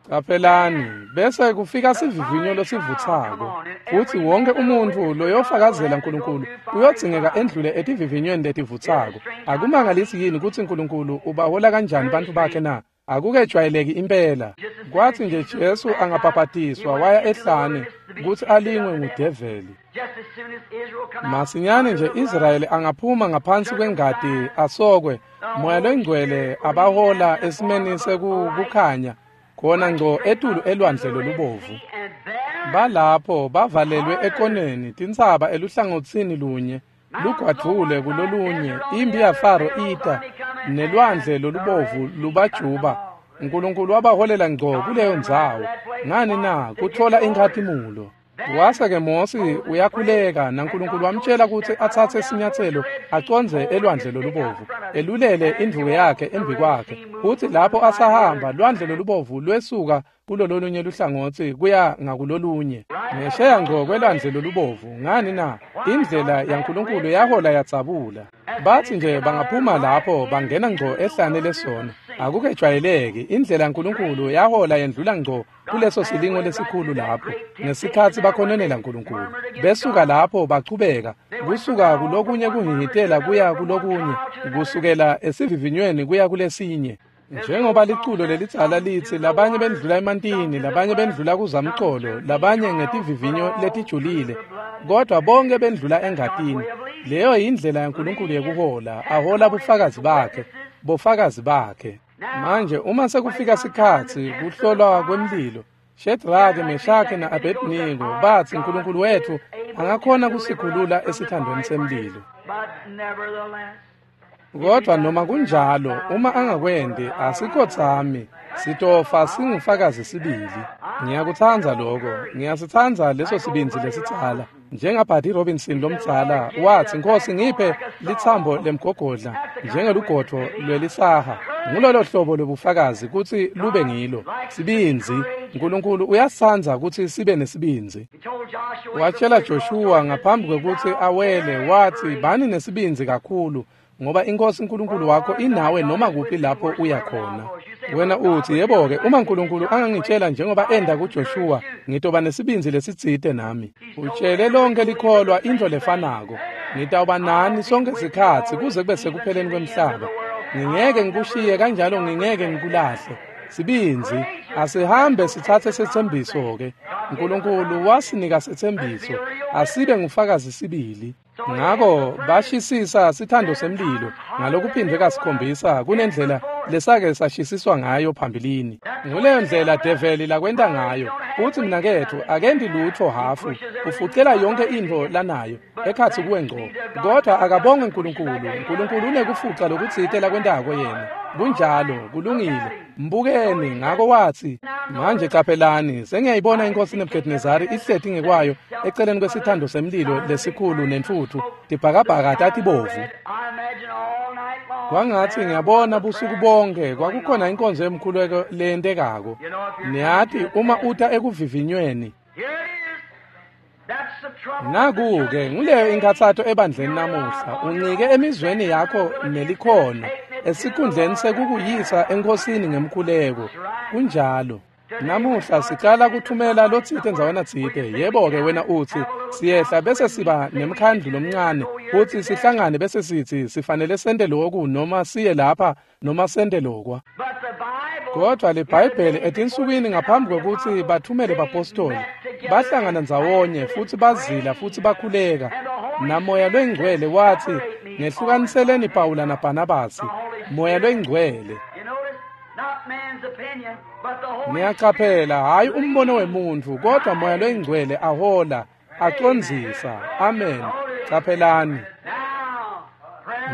Caphelani, bese kufika sivivinyo lesivutsako futsi wonke umuntfu loyofakazela Nkulunkulu uyodzingeka endlule etivivinyweni letivutsako. Akumangalisi yini kutsi Nkulunkulu ubahola kanjani bantfu bakhe na? Akukejwayeleki impela. Kwatsi nje Jesu angabhabhatiswa waya ehlane kutsi alingwe ngudeveli. Masinyane nje Israyeli angaphuma ngaphansi kwengati asokwe, Moya loyingcwele abahola esimeni sekukhanya khona ngco etulu elwandle lolubovu. Balapho bavalelwe ekoneni tintsaba eluhlangotsini lunye, lugwadvule kulolunye, impi yaFaro ita nelwandle lolubovu lubajuba. Nkulunkulu wabaholela ngco kuleyo ndzawo. Ngani na? Kutfola inkhatimulo. Wase-ke Mosi uyakhuleka naNkulunkulu wamtshela ukuthi atsatse isinyatselo acondze elwandle lolubovu, elulele indvuku yakhe embi kwakhe. Futhi lapho asahamba, lwandle lolubovu lwesuka kulololunye luhlangotsi kuya ngakulolunye. Ngesheya ngco kwelwandle lolubovu, ngani na? Indlela yaNkulunkulu yahola yadzabula. Bathi nje bangaphuma lapho bangena ngco ehlane lesono. Akukejwayeleki, indlela yaNkulunkulu yahola yendlula ngco kuleso silingo lesikhulu lapho ngesikhatsi bakhononela Nkulunkulu. Besuka lapho bachubeka, kusuka kulokunye kuhihitela kuya kulokunye, kusukela esivivinyweni kuya kulesinye. Njengoba liculo lelidzala litsi, labanye bendlula emantini, labanye bendlula kuzamcolo, labanye ngetivivinyo letijulile, kodwa bonke bendlula engatini. Leyo yindlela yaNkulunkulu yekuhola, ahola bufakazi bakhe, bofakazi bakhe. Manje uma sekufika sikhatsi kuhlolwa kwemlilo, Shadrach, Meshach na-Abednego batsi Nkulunkulu wetfu angakhona kusikhulula esithandweni semlilo. Kodwa noma kunjalo, uma angakwendi, asikhotsami, sitofa singufakazi sibili. Ngiyakutsandza lokho, ngiyasitsandza leso sibindzi lesidzala. NjengaBuddy Robinson lomdzala watsi, Nkosi ngiphe litsambo lemgogodla njengelugodvo lwelisaha. Ngulolo hlobo lobufakazi kutsi lube ngilo. Sibindzi, Nkulunkulu uyasandza kutsi sibe nesibindzi. Watshela Joshua ngaphambi kwekutsi awele, watsi bani nesibindzi kakhulu, ngoba iNkosi uNkulunkulu wakho inawe noma kuphi lapho uya khona. Wena uthi, yebo-ke, uma uNkulunkulu angangitshela njengoba enda kuJoshua, ngitoba nesibindzi lesitsite nami. Utshele lonke likholwa intfo lefanako. Ngitawuba nani sonke sikhatsi kuze kube sekupheleni kwemhlaba. Ngingeke ngikushiye kanjalo, ngingeke ngikulahle. Sibindzi, asihambe sitsatse setsembiso-ke. Nkulunkulu wasinika setsembiso, asibe ngufakazi sibili. Ngako bashisisa sithando semlilo ngalokuphindwe kasikhombisa kunendlela lesake sashisiswa ngayo phambilini. Nguleyo ndlela develi lakwenta ngayo. Uthi mnaketfu akendi lutfo hafu, ufucela yonke intfo lanayo ekhatsi kuwe ngco. Kodwa akabonge Nkulunkulu, Nkulunkulu unekufuca lokutsite lakwentako yena. Kunjalo, kulungile. Mbukeni, ngako watsi, manje caphelani, sengiyayibona iNkosi Nebuchadnezzar ihleti ngekwayo eceleni kwesithando semlilo lesikhulu nentfutfu, tibhakabhaka tatibovu. Kwangatsi ngiyabona busuku bonke kwakukhona inkonzo yemkhuleko leyentekako. Niyati uma uta ekuvivinyweni. Naku-ke nguleyo inkhatsato ebandleni namuhla, uncike emizweni yakho nelikhono esikhundleni sekukuyisa enkosini ngemkhuleko. Kunjalo. Namuhla sicala kuthumela lotsite endzaweni tsite. Yebo-ke wena utsi siyehla bese siba nemkhandlu lomncane futsi sihlangane bese sitsi sifanele sente loku noma siye lapha noma sente lokwa. Kodwa liBhayibheli etinsukwini ngaphambi kwekutsi bathumele bapostoli, bahlangana ndzawonye futsi bazila futsi bakhuleka. NaMoya loyiNgcwele watsi, ngehlukaniseleni Pawula naBarnabasi. Moya loyiNgcwele. Niyaqaphela, hhayi umbono wemuntfu, kodwa Moya loyiNgcwele ahola, acondzisa. Amen. Caphelani.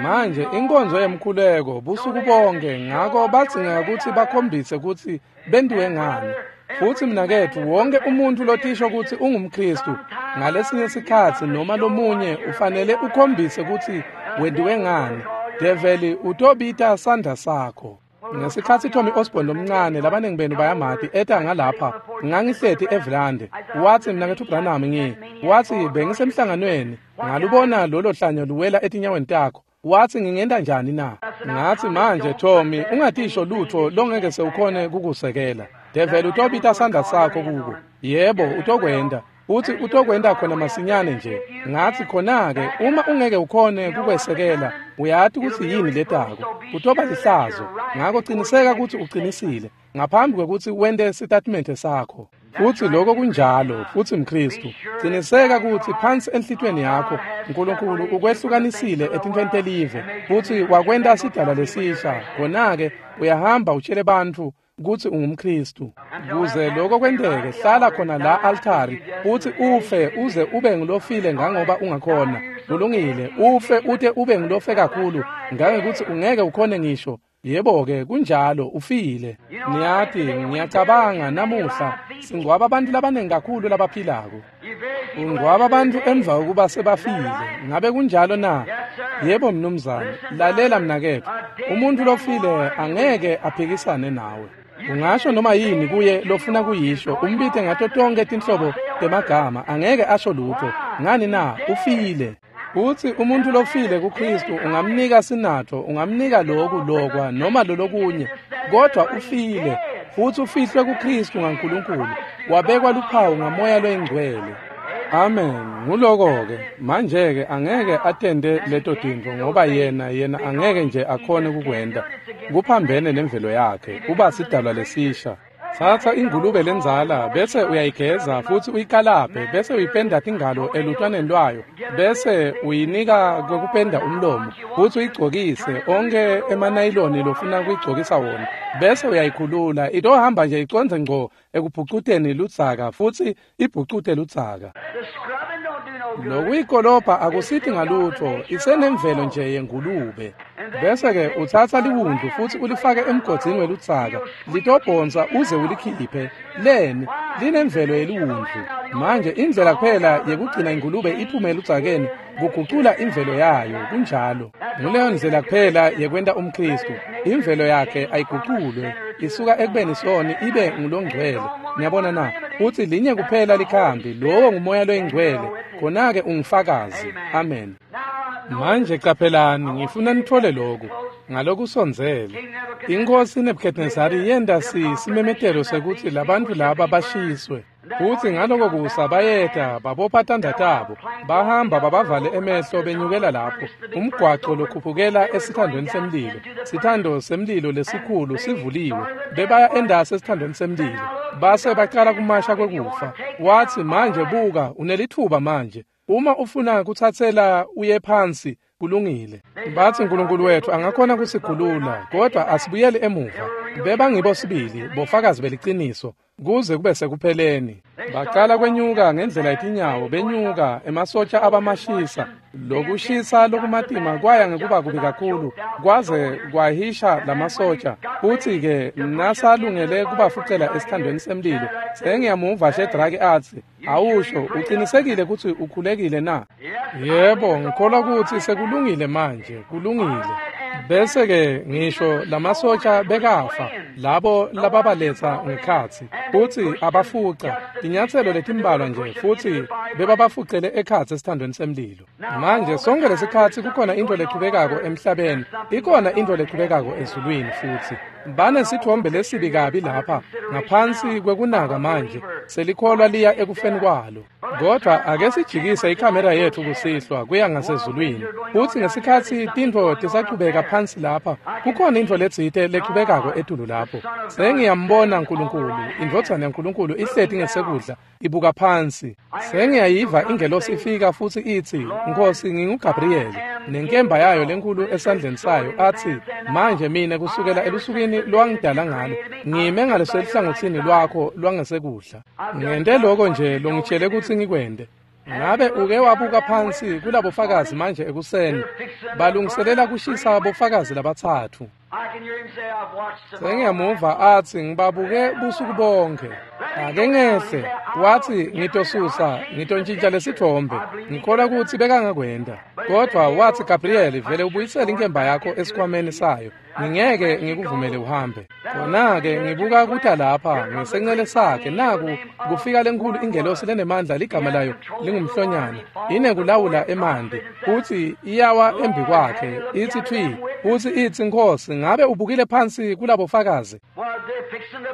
Manje inkonzo yemkhuleko busuku bonke, ngako badzingeka kutsi bakhombise kutsi bentiwe ngani. Futsi mnaketfu, wonke umuntfu lotisho kutsi ungumKhristu ngalesinye sikhatsi noma lomunye ufanele ukhombise kutsi wentiwe ngani. Develi utobita sandla sakho. Ngesikhatsi Tommy Osborne lomncane, labaningi benu bayamati, eta ngalapha, ngangihleti eVlande. Watsi mnaketfu Branham, watsi bengisemhlanganweni, ngalubona lolo hlanyo luwela etinyaweni takho. Watsi ngingenta njani na? Ngatsi manje Tommy, ungatisho lutfo longeke sewukhone kukusekela. Develi utobita sandla sakho kuko. Yebo, utokwenta. Uthi utokwenta khona masinyane nje. Ngatsi khona-ke uma ungeke ukhone kukwesekela, uyati kutsi yini letako. Kutoba lihlazo. Ngako ciniseka kutsi ucinisile ngaphambi kwekutsi wente sitatimende sakho. Futsi lokho kunjalo, futsi mKhristu, ciniseka kutsi phansi enhlitiyweni yakho Nkulunkulu ukwehlukanisile etintfweni telive futsi wakwenta sidalwa lesisha. Khona-ke uyahamba utshele bantfu kutsi ungumKhristu. Kuze lokho kwenteke, hlala khona la altari futsi ufe uze ube ngulofile ngangoba ungakhona. Kulungile, ufe ute ube ngulofe kakhulu ngangekutsi ungeke ukhone ngisho. Yebo-ke, kunjalo, ufile. Niyati, ngiyacabanga namuhla singcwaba abantu labaningi kakhulu labaphilako. Ungcwaba abantu emva kokuba sebafile. Ngabe kunjalo na? Yebo mnumzane. Lalela mnaketfu. Umuntu lofile angeke aphikisane nawe. Ungasho noma yini kuye lofuna kuyisho, umbite ngato tonke tinhlobo temagama, angeke asho lutho. Ngani na? Ufile. Uthi umuntu lofile kuKristu ungamnika sinatho, ungamnika lokhu lokwa noma lolokunye, kodwa ufile futhi ufihlwe kuKristu ngaNkulunkulu, wabekwa luphawu ngamoya loyingcwele. Amen. Nguloko-ke. Manje-ke angeke atende leto tintfo ngoba yena angeke nje akhone kukwenta. Kuphambene nemvelo yakhe, kuba sidalwa lesisha. Tsatsa ingulube lendzala bese uyayigeza futhi uyikalabhe bese uyipenda tingalo elutwaneni lwayo bese uyinika kwekupenda umlomo futhi uyigcokise onke emanayiloni lofuna kuyigcokisa wona bese uyayikhulula itohamba nje icondze ngco ekubhucuteni ludzaka futhi ibhucute ludzaka. Lokuyikolobha akusithi ngalutho, isenemvelo nje yengulube. Bese-ke utsatsa liwundlu futhi ulifake emgodzini weludzaka, litobhonsa uze ulikhiphe. Leni linemvelo yeliwundlu. Manje indlela kuphela yekugcina ingulube iphume eludzakeni kugucula imvelo yayo, kunjalo. Nguleyo ndlela kuphela yekwenta umKristu. Imvelo yakhe ayiguculwe, isuka ekubeni soni ibe ngulongcwele. Niyabona na? Uthi linye kuphela likhambi, lowo ngumoya loyingcwele. Khona-ke ungufakazi. Amen. Manje qaphelani, ngifuna nithole lokhu ngalokusondzele. Inkosi Nebuchadnezzari yenta simemetelo sekuthi labantu laba bashiswe. Futhi ngaloko kusa bayeta babopha tandla tabo, bahamba babavale emehlo benyukela lapho. Umgwaco lokhuphukela esithandweni semlilo. Sithando semlilo lesikhulu sivuliwe. Bebaya endasi esithandweni semlilo. Base baqala kumasha kwekufa. Wathi manje buka, unelithuba manje. Uma ufuna kuthathela uye phansi, kulungile. Bathi uNkulunkulu wethu angakhona kusikhulula, kodwa asibuyele emuva. Bebangibo sibili, bofakazi beliciniso, kuze kube sekupheleni. Baqala kwenyuka ngendlela yetinyawo, benyuka emasotsha abamashisa. Lokushisa lokumatima kwaya ngekuba kubi kakhulu, kwaze kwahisha lamasotsha. Futhi-ke nasalungele kubafucela esithandweni semlilo, sengiyamuva Shedraki athi, awusho, uqinisekile ukuthi ukhulekile na? Yebo, ngikholwa ukuthi sekulungile manje, kulungile. Bese-ke ngisho lamasotsha bekafa, labo lababaletha ngekhatsi, futhi abafuca, tinyatselo letimbalwa nje, futhi bebabafucele ekhatsi esithandweni semlilo. Manje sonke lesikhatsi kukhona into lechubekako emhlabeni, ikhona into lechubekako ezulwini futhi. Banesithombe lesibi kabi lapha, ngaphansi kwekunaka manje, selikholwa liya ekufeni kwalo. Kodwa ake sijikise ikhamera yethu kusihlwa kuya ngasezulwini. Futhi ngesikhatsi tintfo tisachubeka phansi lapha, kukhona intfo letsite lechubekako etulu lapho. Sengiyambona uNkulunkulu, indvodzana yaNkulunkulu ihleti ngesekudla, ibuka phansi. Sengiyayiva ingelosi ifika futhi ithi, Nkosi, nginguGabriyeli, nenkemba yayo lenkulu esandleni sayo, athi, manje mina kusukela elusukwini lwangidala ngalo, ngime ngaleselihlangothini lwakho lwangesekudla. Ngente lokho nje longitshele ukuthi ngikwente. Ngabe uke wabuka phansi kulabofakazi manje ekuseni, balungiselela kushisa bofakazi labathathu. Sengiyamuva athi ngibabuke busuku bonke. Ake ngehle, wathi ngitosusa, ngitontshintsha lesithombe. Ngikholwa ukuthi bekangakwenda. Kodwa wathi Gabriel, vele ubuyisele inkemba yakho esikhwameni sayo. Ngingeke ngikuvumele uhambe. Khona-ke ngibuka kuta lapha ngesencele sakhe, naku kufika lenkhulu ingelosi lenemandla, ligama layo lingumhlonyana, inekulawula emanti, futhi iyawa embi kwakhe, ithi thwi, futhi ithi, Nkosi, ngabe ubukile phansi kulabofakazi?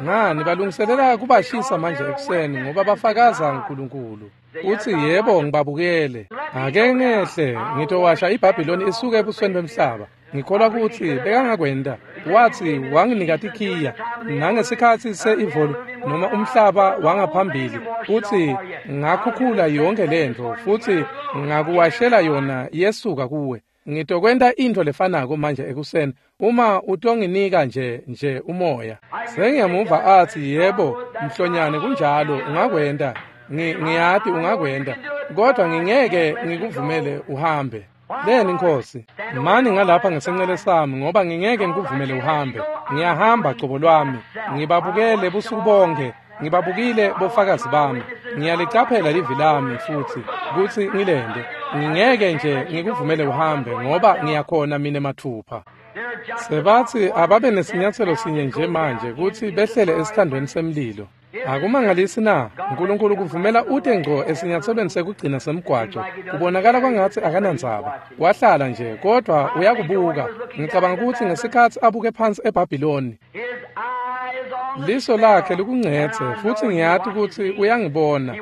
Ngani balungiselela kubashisa manje ekuseni ngoba bafakaza uNkulunkulu. Uthi yebo ngibabukele. Ake ngehle ngitowasha iBhabhiloni isuke ebusweni bemhlaba. Ngikholwa ukuthi bekangakwenda. Wathi wanginika tikhiya nangesikhatsi se-ivolu noma umhlaba wangaphambili, uthi ngakhukhula yonke lentfo futhi ngakuwashela yona yesuka kuwe. Ngitokwenta intfo lefanako manje ekuseni uma utonginika nje umoya. Sengiyamuva athi yebo mhlonyane kunjalo ungakwenda. Ngiyati ungakwenda, kodwa ngingeke ngikuvumele uhambe. Leni Nkosi, mani ngalapha ngesencele sami ngoba ngingeke ngikuvumele uhambe. Ngiyahamba cobo lwami, ngibabukele busuku bonke, ngibabukile bofakazi bami. Ngiyalicaphela livi lami futsi kutsi ngilente. Ngingeke nje ngikuvumele uhambe ngoba ngiyakhona mine mathupha. Sebatsi ababe nesinyatselo sinye nje manje kutsi behlele esithandweni semlilo. Akumangalisi na? uNkulunkulu kuvumela ute ngco esinyatselweni sekugcina semgwaco. Kubonakala kwangatsi akanandzaba. Wahlala nje kodwa uyakubuka. Ngicabanga kutsi ngesikhatsi abuke phansi eBhabhiloni, liso lakhe likungcetse futsi ngiyati kutsi uyangibona.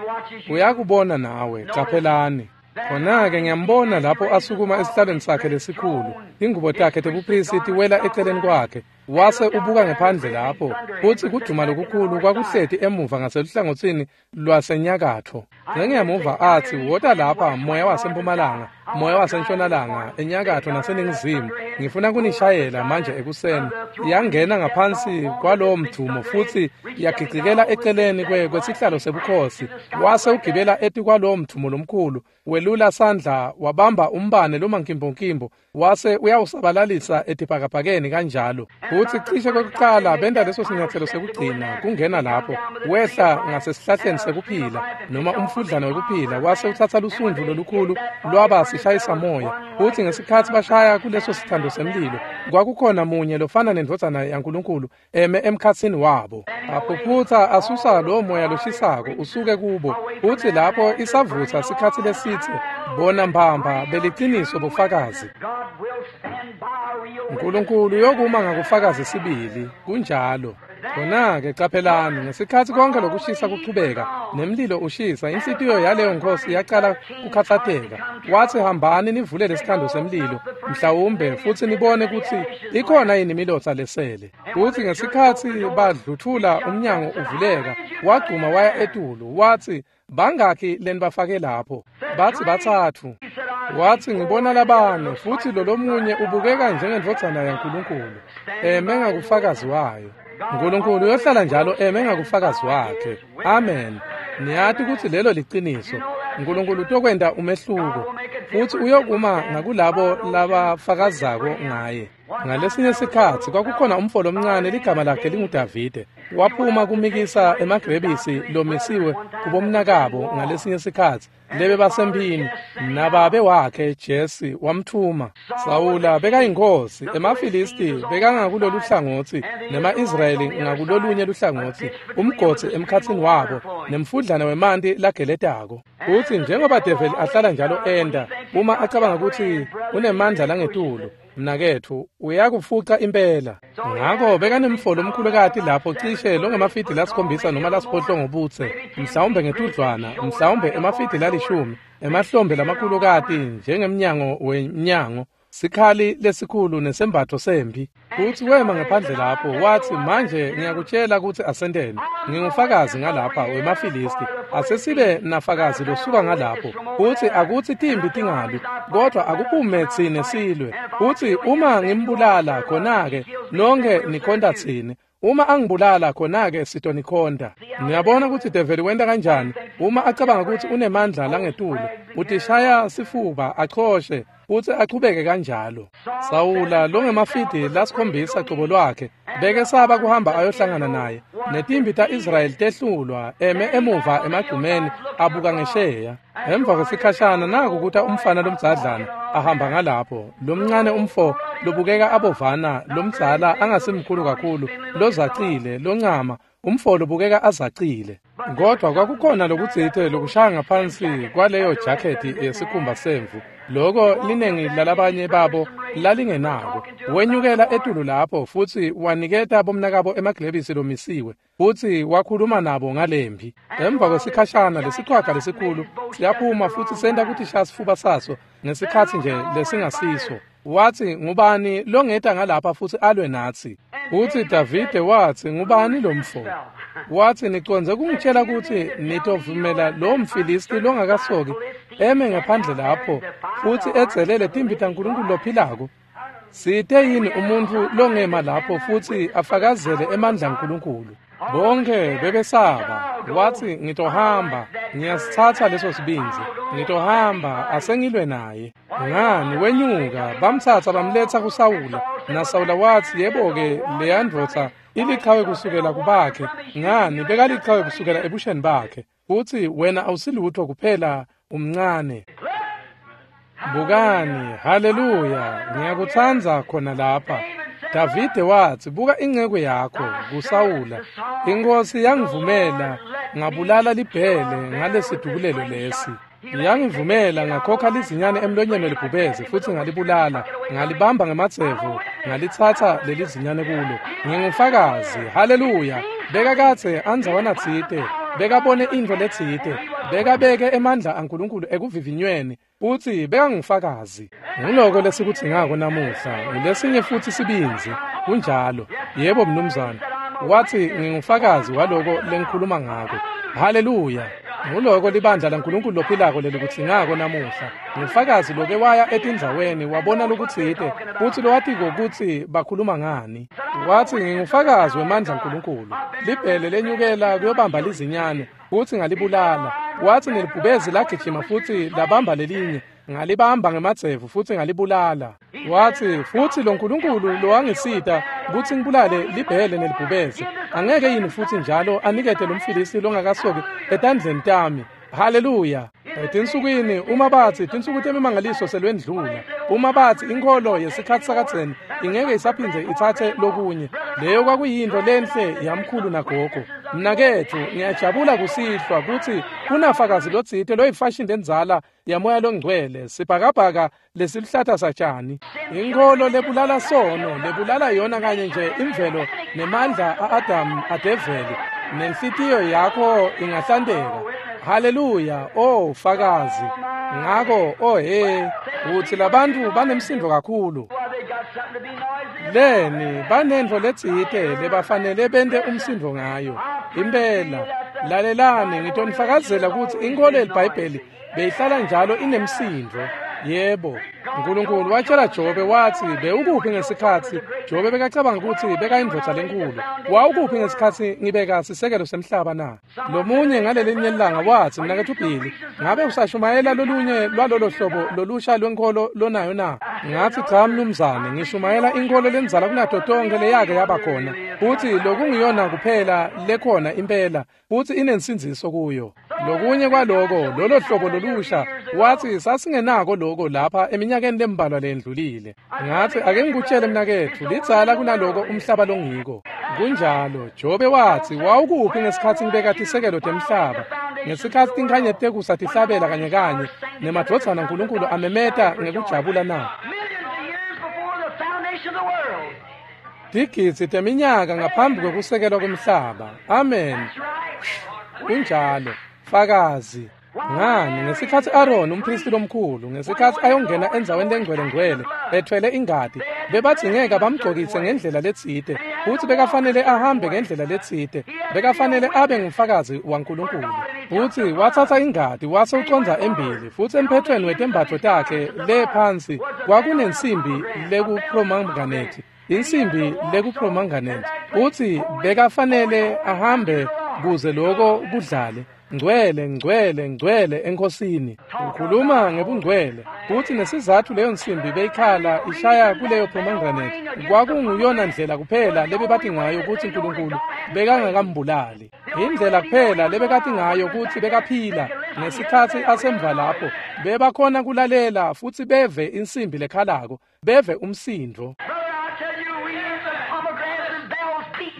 Uyakubona nawe, caphelani. Khona-ke ngiyambona lapho asukuma esihlalweni sakhe lesikhulu, ingubo takhe tebuphristi tiwela eceleni kwakhe, wase ubuka ngephandle lapho, futsi kuduma lokukhulu kwakuhleti emuva ngaseluhlangotsini lwasenyakatfo. Sengiyamuva atsi, wota lapha, moya wasempumalanga, moya wasentshonalanga, enyakatfo naseningizimu, ngifuna kunishayela manje ekuseni. Yangena ngaphansi kwalowo mdvumo futsi yagicikela eceleni kwesihlalo sebukhosi, wase ugibela etikwalowo mdvumo lomkhulu, welula sandla wabamba umbane lomankimbonkimbo, wase uyawusabalalisa etibhakabhakeni kanjalo. Futsi cishe kwekucala benta leso sinyatselo sekugcina kungena lapho, wehla ngasesihlahleni sekuphila noma umfudlana wekuphila, wase utsatsa lusundvu lolukhulu lwaba sishayisa moya. Futsi ngesikhatsi bashaya kuleso sithando semlilo, kwakukhona munye lofana nendvodzana yaNkulunkulu eme emkhatsini wabo. Aphuphutsa asusa lowo moya loshisako usuke kubo. Futsi lapho isavutsa sikhatsi lesitse, bona mbamba beliciniso bufakazi. uNkulunkulu uyokuma ngakufakazi sibili, kunjalo. Khona-ke caphelani, ngesikhatsi konke lokushisa kuchubeka, nemlilo ushisa, inhlitiyo yaleyo nkhosi yacala kukhatsateka. Watsi, hambani nivule lesithando semlilo, mhlawumbe futsi nibone kutsi ikhona yini imilotsa lesele. Futsi ngesikhatsi badluthula umnyango uvuleka, wagcuma waya etulu, watsi, bangakhi lenibafake lapho? Batsi batsatfu. Watsi, ngibona labane, futsi lolomunye ubukeka njengendvodzana yaNkulunkulu, eme ngakufakazi wayo. uNkulunkulu uyohlala njalo eme ngakufakazi wakhe. Amen. Niyati kutsi lelo liciniso. uNkulunkulu utokwenta umehluko, futsi uyokuma ngakulabo labafakazako ngaye. Ngalesinye sikhatsi kwakukhona umfo lomncane ligama lakhe linguDavide. Waphuma kumikisa emagrebisi lomisiwe kubomnakabo ngalesinye sikhatsi lebe basemphini, nababe wakhe Jesse wamthuma. Sawula bekayinkosi, emaFilisti bekangakulolu hlangotsi nema-Israyeli ngakulolunye luhlangotsi, umgodzi emkhatsini wabo nemfudlana wemanti lageletako. Futsi njengoba Develi ahlala njalo enta, uma acabanga kutsi unemandla langetulu, mnaketfu uyakufuca impela. Ngako bekanemfo lomkhulukati lapho cishe longemafidi lasikhombisa noma lasiphohlongo butse, mhlawumbe ngetudlwana, mhlawumbe emafidi lalishumi, emahlombe lamakhulukati njengemnyango wemnyango, sikhali lesikhulu nesembatfo sempi. Futsi wema ngephandle lapho, watsi, manje ngiyakutshela kutsi asenteni. Ngingufakazi ngalapha wemaFilisti. Asesibe nafakazi losuka ngalapho. Futsi akutsi timbi tingalwi, kodvwa akuphume tsine silwe. Futsi uma ngimbulala khona-ke nonke nikhonta tsine. Uma angibulala khona-ke sitonikhonta. Niyabona kutsi Develi wenta kanjani? Uma acabanga kutsi unemandla langetulu, utishaya sifuba achoshe futsi achubeke kanjalo. Sawula longemafidi lasikhombisa cobo lwakhe bekesaba kuhamba ayohlangana naye. Netimpi ta-Israyeli tehlulwa eme emuva emagcumeni abuka ngesheya. Emva kwesikhashana naku kuta umfana lomdzadlana ahamba ngalapho, lomncane umfo lobukeka abovana, lomdzala angasimkhulu kakhulu, lozacile, loncama, umfo lobukeka azacile. Kodwa kwakukhona lokutsite lokushaya ngaphansi kwaleyo jakhethi yesikhumba semvu, loko linengi lalabanye babo lalingenako. Wenyukela etulu lapho futsi waniketa bomnakabo emaglebisi lomisiwe, futsi wakhuluma nabo ngalempi. Emva kwesikhashana lesichwaga lesikhulu siyaphuma futsi senta kutishaya sifuba saso ngesikhatsi nje lesingasiso. Watsi, ngubani longeta ngalapha futsi alwe natsi? Futsi Davide watsi, ngubani lomfo? Watsi, nicondze kungitshela kutsi nitovumela lo mFilisti longakasoki eme ngephandle lapho futsi edzelele timpi taNkulunkulu lophilako? Site yini umuntfu longema lapho futsi afakazele emandla aNkulunkulu? Bonke bebesaba. Watsi, ngitohamba, ngiyasitsatsa leso sibindzi, ngitohamba asengilwe naye. Ngani wenyuka, bamtsatsa bamletsa kuSawula, naSawula watsi, yebo-ke leya ndvodza ilichawe kusukela kubakhe. Ngani bekalichawe kusukela ebusheni bakhe. Futsi wena awusilutho kuphela umncane. Bukani, haleluya, ngiyakutsandza khona lapha. Davide watsi, buka inceku yakho kuSawula. Inkosi yangivumela ngabulala libhele ngalesidubulelo lesi. Yangivumela ngakhokha lizinyane emlonyeni welibhubezi futsi ngalibulala, ngalibamba ngemadzevu, ngalitsatsa lelizinyane kulo. Ngingufakazi, haleluya. Bekakadze andzawana tsite, bekabone intfo letsite, bekabeke emandla aNkulunkulu ekuvivinyweni, futsi bekangufakazi. Nguloko lesikudzingako namuhla, ngulesinye futsi sibindzi. Kunjalo. Yebo mnumzane. Watsi ngingufakazi waloko lengikhuluma ngako. Haleluya. Nguloko libandla laNkulunkulu lophilako lelikudzingako namuhla. Ngufakazi loke waya etindzaweni wabona lokutsite futsi lowatiko kutsi bakhuluma ngani. Watsi ngingufakazi wemandla aNkulunkulu. Libhele lenyukela kuyobamba lizinyane futsi ngalibulala. Watsi nelibhubezi lagijima futsi labamba lelinye, ngalibamba ngemadzevu futsi ngalibulala. Watsi futsi lo Nkulunkulu lowangisita kutsi ngibulale libhele nelibhubezi angeke yini futsi njalo anikete lo mfilisi longakasoki etandleni tami. Haleluya. Etinsukwini uma batsi tinsuku temimangaliso selwendlula, uma batsi inkholo yesikhatsi sakadzeni ingeke isaphindze itsatse lokunye, leyo kwakuyintfo lenhle yamkhulu nagogo. Mnaketfu, ngiyajabula kusihlwa kutsi kunafakazi lotsite loyifashini lendzala yamoya longcwele, sibhakabhaka lesiluhlata satjani. Inkholo lebulala sono, lebulala yona kanye nje imvelo nemandla a-Adamu adeveli, nenhlitiyo yakho ingahlanteka. Haleluya, oh fakazi. Ngako, oh he, utsi labantu banemsindo kakhulu. Leni banentfo letsite lebafanele bente umsindo ngayo. Impela, lalelani, ngitonifakazela kutsi inkholo yeliBhayibheli beyihlala njalo inemsindo. Yebo, uNkulunkulu watshela Jobe watsi bewukuphi ngesikhatsi Jobe bekacabanga kutsi bekayindvodza lenkulu. Wawukuphi ngesikhatsi ngibeka sisekelo semhlaba na? Lomunye ngalelinye ilanga watsi, mnaketfu Billy, ngabe usashumayela lolunye lwalolo hlobo lolusha lwenkholo lonayo na? Ngatsi cha mnumzane, ngishumayela inkholo lendzala kunato tonkhe leyake yaba khona, futsi lokungiyona kuphela lekhona impela, futsi inensindziso kuyo. Lokunye kwaloko, lolo hlobo lolusha, watsi sasingenako loko lapha eminyakeni lembalwa lendlulile. Ngatsi ake ngikutshele mnaketfu, lidzala kunaloko umhlaba longiko. Kunjalo, Jobe watsi wawukuphi ngesikhatsi ngibeka tisekelo temhlaba, ngesikhatsi tinkhanyeti tekusa tihlabela kanye kanye, nemadvodzana aNkulunkulu amemeta ngekujabula na? Tigidzi teminyaka ngaphambi kwekusekelwa komhlaba. Amen. Kunjalo, fakazi. Ngani, ngesikhatsi Aaron umphristi lomkhulu, ngesikhatsi ayongena endzaweni lengcwele-ngcwele ethwele ingati, bebadzingeka bamgcokise ngendlela letsite, futsi bekafanele ahambe ngendlela letsite, bekafanele abe ngufakazi waNkulunkulu. Futsi watsatsa ingati wase ucondza embili, futsi emphethweni wetembatfo takhe le phansi kwakunensimbi lekupromanganate, insimbi lekupromanganate, futsi bekafanele ahambe kuze loko kudlale. Ngcwele, ngcwele, ngcwele enkosini. Ukhuluma ngebungcwele, futsi nesizatfu leyo nsimbi beyikhala ishaya kuleyo pomegranate kwakunguyona ndlela kuphela lebebati ngayo kutsi Nkulunkulu bekangakambulali. Indlela kuphela lebekati ngayo kutsi bekaphila ngesikhatsi asemva lapho, bebakhona kulalela futsi beve insimbi lekhalako, beve umsindvo.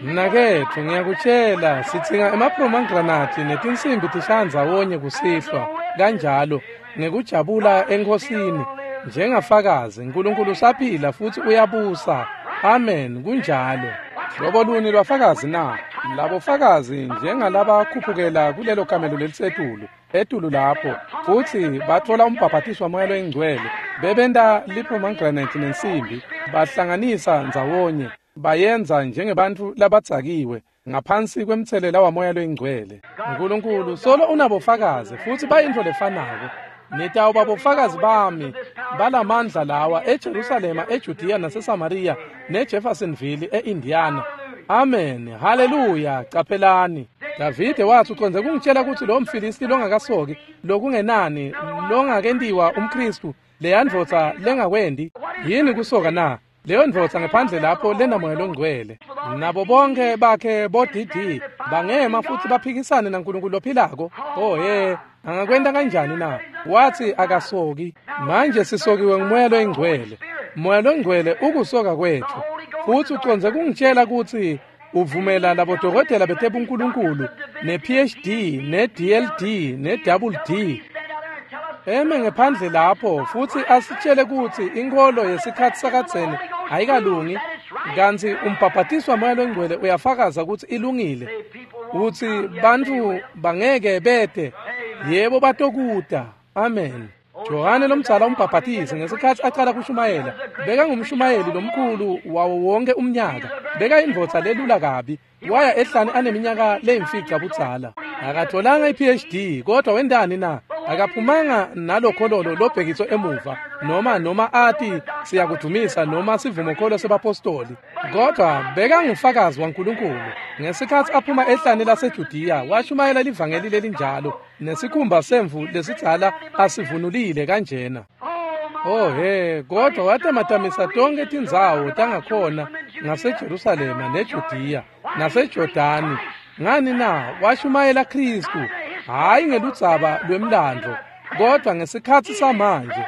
Mnaketfu, ngiyakutshela, sidzinga emapomegranate netinsimbi tishaya ndzawonye kusihlwa kanjalo ngekujabula enkosini. Njengafakazi, Nkulunkulu usaphila futsi uyabusa. Amen, kunjalo. Hlobo luni lwafakazi na? Labo fakazi njengalabakhuphukela kulelo kamelo lelisetulu, etulu lapho, futsi batfola umbhabhatiso wamoya loyingcwele, bebenta lipomegranate nensimbi, bahlanganisa ndzawonye, bayenza njengebantfu labadzakiwe ngaphansi kwemtselela wamoya loyingcwele. Nkulunkulu solo unabofakazi futsi bayintfo lefanako. Nitawuba bofakazi bami balamandla lawa eJerusalema, eJudiya naseSamariya neJeffersonville eIndiana. Amen. Haleluya. Caphelani. Davide watsi ucondze kungitshela kutsi lo mfilisti longakasoki, lokungenani, longakentiwa umKhristu, leya ndvodza lengakwendi, yini kusoka na? Leyo ndvodza ngephandle lapho lenamoya longcwele. Nabo bonke bakhe bo DD Bangema futhi baphikisane naNkulunkulu lophilako. Oh he, angakwenta kanjani na? Wathi akasoki. Manje sisokiwe nguMoya loyiNgcwele. Moya loyiNgcwele ukusoka kwethu. Futhi uconze kungitshela ukuthi uvumela labodokotela betebunkulunkulu ne-PhD ne-DLD ne-double D eme ngephandle lapho futhi asitshele ukuthi inkolo yesikhathi sakadzeni ayikalungi, kantsi umbhabhatiswa Moya loNgcwele uyafakaza ukuthi ilungile. Uthi bantfu bangeke bete, yebo batokuta. Amen. Johane lomdzala umbhabhatisi ngesikhathi aqala kushumayela bekangumshumayeli lomkhulu wawo wonke umnyaka. Bekayindvodza lelula kabi, waya ehlane aneminyaka leyimfica budzala. Akatholanga i-PhD, kodwa wendani na? Akaphumanga nalokhololo lobhekiswe emuva noma athi siyakudumisa noma sivumokholo sebapostoli, kodwa bekangufakazi waNkulunkulu. Ngesikhathi aphuma ehlane laseJudiya washumayela livangeli lelinjalo nesikhumba semvu lesidzala asivunulile kanjena. Oh he, kodwa watamatamisa tonke tindzawo tangakhona ngaseJerusalema neJudiya naseJordani. Ngani na? Washumayela Kristu, hayi ngeludzaba lwemlandvo, kodwa ngesikhathi samanje,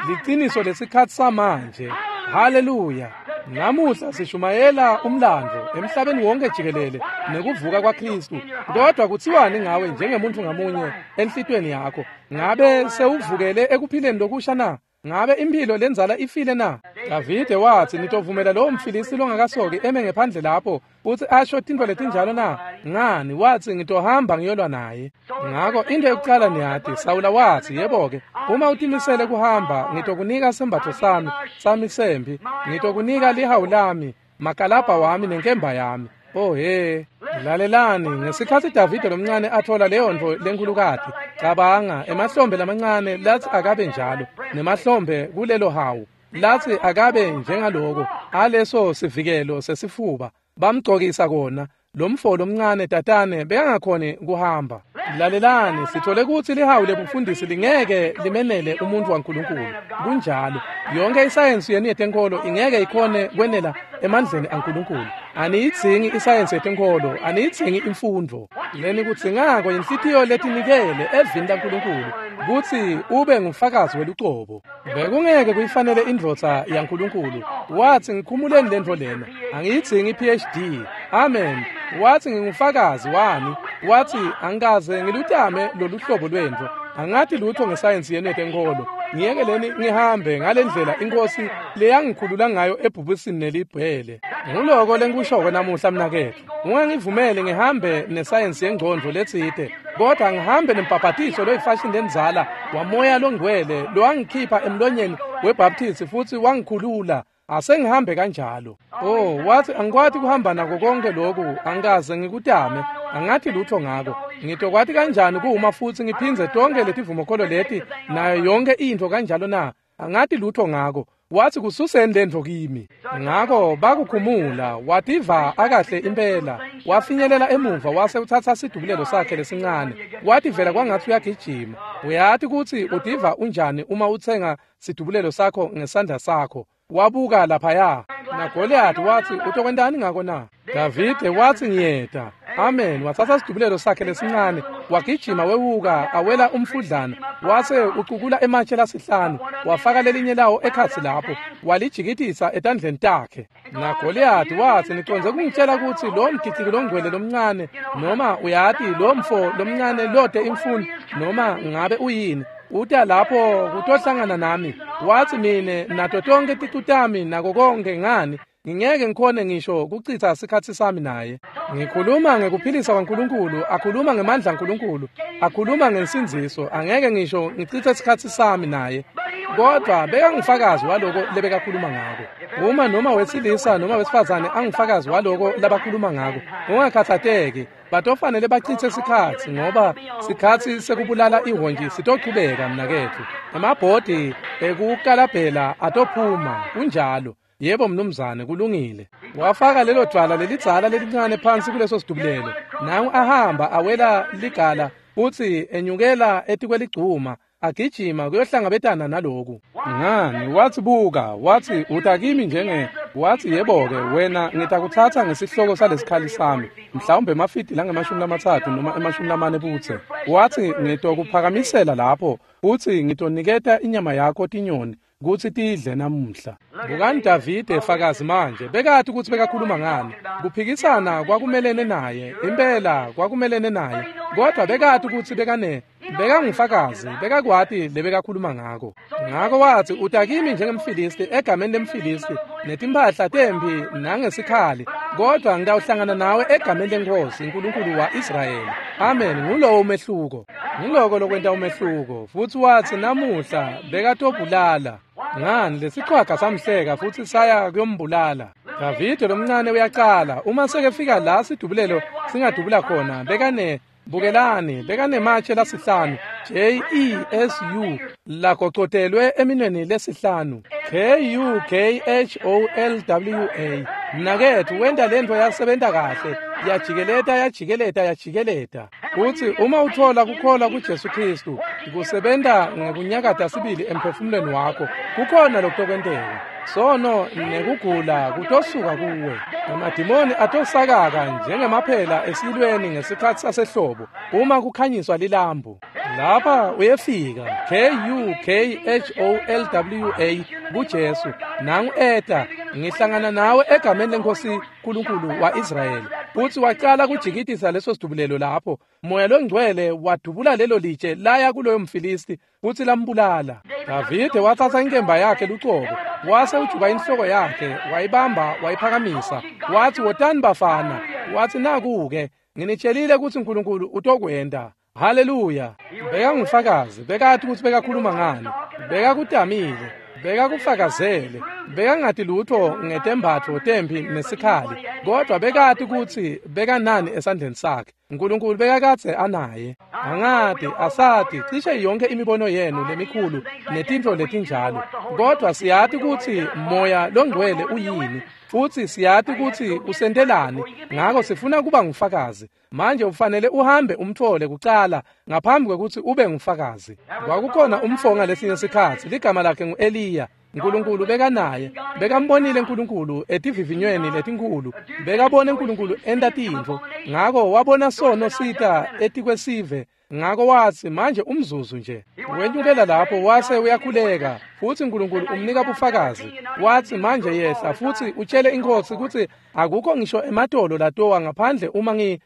liciniso lesikhathi samanje. Haleluya. Namuhla sishumayela umlandvo emhlabeni wonke jikelele nekuvuka kwaKristu, kodwa kuthiwani ngawe njengemuntu ngamunye enhlitweni yakho? Ngabe sewuvukele ekuphileni lokusha na? Ngabe impilo lenzala ifile na? Davide wathi nitovumela lowo mfilisi longakasoki eme ngephandle lapho futhi asho tintfo letinjalo na? Ngani, wathi ngitohamba ngiyolwa naye. Ngako into yokucala niyati, Sawula wathi yebo-ke, uma utimisele kuhamba ngitokunika sembatfo sami sempi, ngitokunika lihawu lami, makalabha wami nenkemba yami. Oh he, lalelani, ngesikhathi Davide lomncane athola leyo ntfo lenkhulukati, cabanga emahlombe lamancane lathi akabe njalo, nemahlombe kulelo hawu lathi akabe njengaloko aleso sivikelo sesifuba, bamgcokisa kona. Lomfo lomncane tatane bekangakhoni kuhamba. Lalelani, sithole ukuthi lihawu lebufundisi lingeke limenele umuntu waNkulunkulu. Kunjalo, yonke isayensi yenu yetenkolo ingeke ikhone kwenela emandleni aNkulunkulu. Aniyidzingi isayensi yetenkolo, aniyidzingi imfundvo. Leni kudzingako inhlitiyo letinikele evini laNkulunkulu kutsi ube ngufakazi welucobo. Bekungeke kuyifanele indvodza yaNkulunkulu. Wathi ngikhumuleni lentfo lena, angiyidzingi i-PhD. Amen. Wathi ngingufakazi wani? Wathi angikaze ngilutame lolu hlobo lwentfo, angathi lutho ngesayensi yenu yetenkolo. Ngiyekeleni ngihambe ngalendlela inkosi leyangikhulula ngayo ebhubusini nelibhele. Nguloko lengikushoko namuhla mnaketfu. Ungangivumeli ngihambe nesayensi yengcondvo letsite, kodwa ngihambe nembhabhatiso loyifashini lenzala waMoya loNgcwele lowangikhipha emlonyeni webhaptisi futhi wangikhulula. Asengihambe kanjalo. Oh, wathi angikwati kuhamba nako konke lokhu, angikaze ngikutame, angathi lutho ngako. Ngitokwati kanjani kuma futhi ngiphindze tonke letivumokholo leti nayo yonke intfo kanjalo na? Angathi lutho ngako. Wathi kususeni lentfo kimi. Ngako bakukhumula, wativa akahle impela. Wafinyelela emuva wase uthatha sidubulelo sakhe lesincane. Wativela kwangathi uyagijima. Uyati kutsi utiva unjani uma utsenga sidubulelo sakho ngesandla sakho. Wabuka laphaya. NaGoliath wathi utokwentani ngako na? Davide wathi ngiyeta. Amen. Wathatha sidubulelo sakhe lesincane, wagijima wewuka awela umfudlana, wase ucukula ematshe lasihlanu, wafaka lelinye lawo ekhatsi lapho, walijikitisa etandleni takhe. NaGoliath wathi niconze kungitshela kutsi lo mgiciki longcwele lomncane, noma uyati lo mfo lomncane lote imfundo, noma ngabe uyini, uta lapho kutohlangana nami. Wathi mine nato tonke ticu tami nako konke ngani, ngingeke ngikhone ngisho kuchitha sikhathi sami naye. Ngikhuluma ngekuphilisa kwaNkulunkulu, akhuluma ngemandla aNkulunkulu, akhuluma ngensindziso, angeke ngisho ngichithe sikhathi sami naye. Kodwa bekangufakazi waloko lebekakhuluma ngako. Uma noma wesilisa noma wesifazane angufakazi waloko labakhuluma ngako, ungakhathateki, batofanele bachithe sikhathi, ngoba sikhathi sekubulala ihonji sitochubeka mnaketfu. Emabhodi ekukalabhela atophuma, kunjalo. Yebo mnumzane, kulungile. Wafaka lelo dvwala lelidzala lelincane phansi kuleso sidubulelo. Nangu ahamba awela ligala futsi enyukela etikweligcuma, agijima kuyohlangabetana naloku. Ngani, wathi buka, wathi uta kimi njenge Wathi, yebo-ke, wena ngitakutsatsa ngesihloko salesikhali sami, mhlawumbe emafidi langama-30 noma ema-40 budze. Wathi, ngitokuphakamisela lapho, futsi ngitoniketa inyama yakho tinyoni kutsi tidle namuhla. Bukani Davide fakazi manje, bekati kutsi bekakhuluma ngani. Kuphikisana kwakumelene naye, impela kwakumelene naye, kodwa bekati kutsi bekangufakazi, bekakwati lebekakhuluma ngako. Ngako wathi, utakimi njengemFilisti egameni lemFilisti netimphahla temphi nangesikhali, kodwa ngitawuhlangana nawe egameni leNkhosi uNkulunkulu wa-Israyeli. Amen. Ngulowo umehluko. Nguloko lokwenta umehluko. Futsi wathi namuhla bekatobulala. Ngani lesichwaga samhleka futsi saya kuyombulala. Davide lomncane uyacala, uma sekefika la sidubulelo singadubula khona, bekane bukelani, bekanematshe lasihlanu Jesu lagocotelwe eminweni lesihlanu Kukholwa. Mnaketfu wenta lentfo yasebenta kahle, yajikeleta yajikeleta yajikeleta. Futsi uma uthola kukholwa kuJesu Kristu kusebenta ngekunyakata sibili emphefumulweni wakho, kukhona lokutokwenteka. Sono nekugula kutosuka kuwe. Emadimoni atosakaka njengemaphela esilweni ngesikhatsi sasehlobo uma kukhanyiswa lilambu. Lapha uyefika Kukholwa kuJesu. Nangu eta, ngihlangana nawe egameni leNkhosi uNkulunkulu wa-Israyeli. Futsi wacala kujikitisa leso sidubulelo lapho. Moya longcwele wadubula lelo litshe laya kuloyo mFilisti futsi lambulala. Davide watsatsa inkemba yakhe lucobo, wase ujuba inhloko yakhe, wayibamba wayiphakamisa. Wathi, wotani bafana. Wathi, naku-ke nginitshelile kutsi uNkulunkulu utokwenta. Haleluya. Bekangufakazi, bekati kutsi bekakhuluma ngani, bekakutamile, bekakufakazele, bekangati lutho ngetembatfo temphi nesikhali, kodwa bekati kutsi bekanani esandleni sakhe. uNkulunkulu bekakadze anaye. Angati, asati cishe yonke imibono yenu lemikhulu netintfo letinjalo, kodwa siyati kutsi Moya longcwele uyini, futsi siyati kutsi usentelani. Ngako sifuna kuba ngufakazi. Manje ufanele uhambe umthole kucala ngaphambi kwekutsi ube ngufakazi. Kwakukhona umfo ngalesinye sikhatsi, ligama lakhe ngu-Eliya. uNkulunkulu bekanaye, bekambonile uNkulunkulu etivivinyweni letinkhulu, bekabone uNkulunkulu enta tintfo. Ngako wabona sono sita etikwesive. Ngako watsi, manje umzuzu nje. Wenyukela lapho wase uyakhuleka, futsi uNkulunkulu umnika bufakazi. Watsi, manje yehla futsi utshele inkhosi kutsi akukho ngisho ematolo latowa ngaphandle uma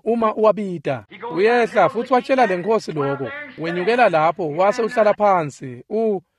uma uwabita. Uyehla futsi watshela lenkhosi lokho. Wenyukela lapho wase uhlala phansi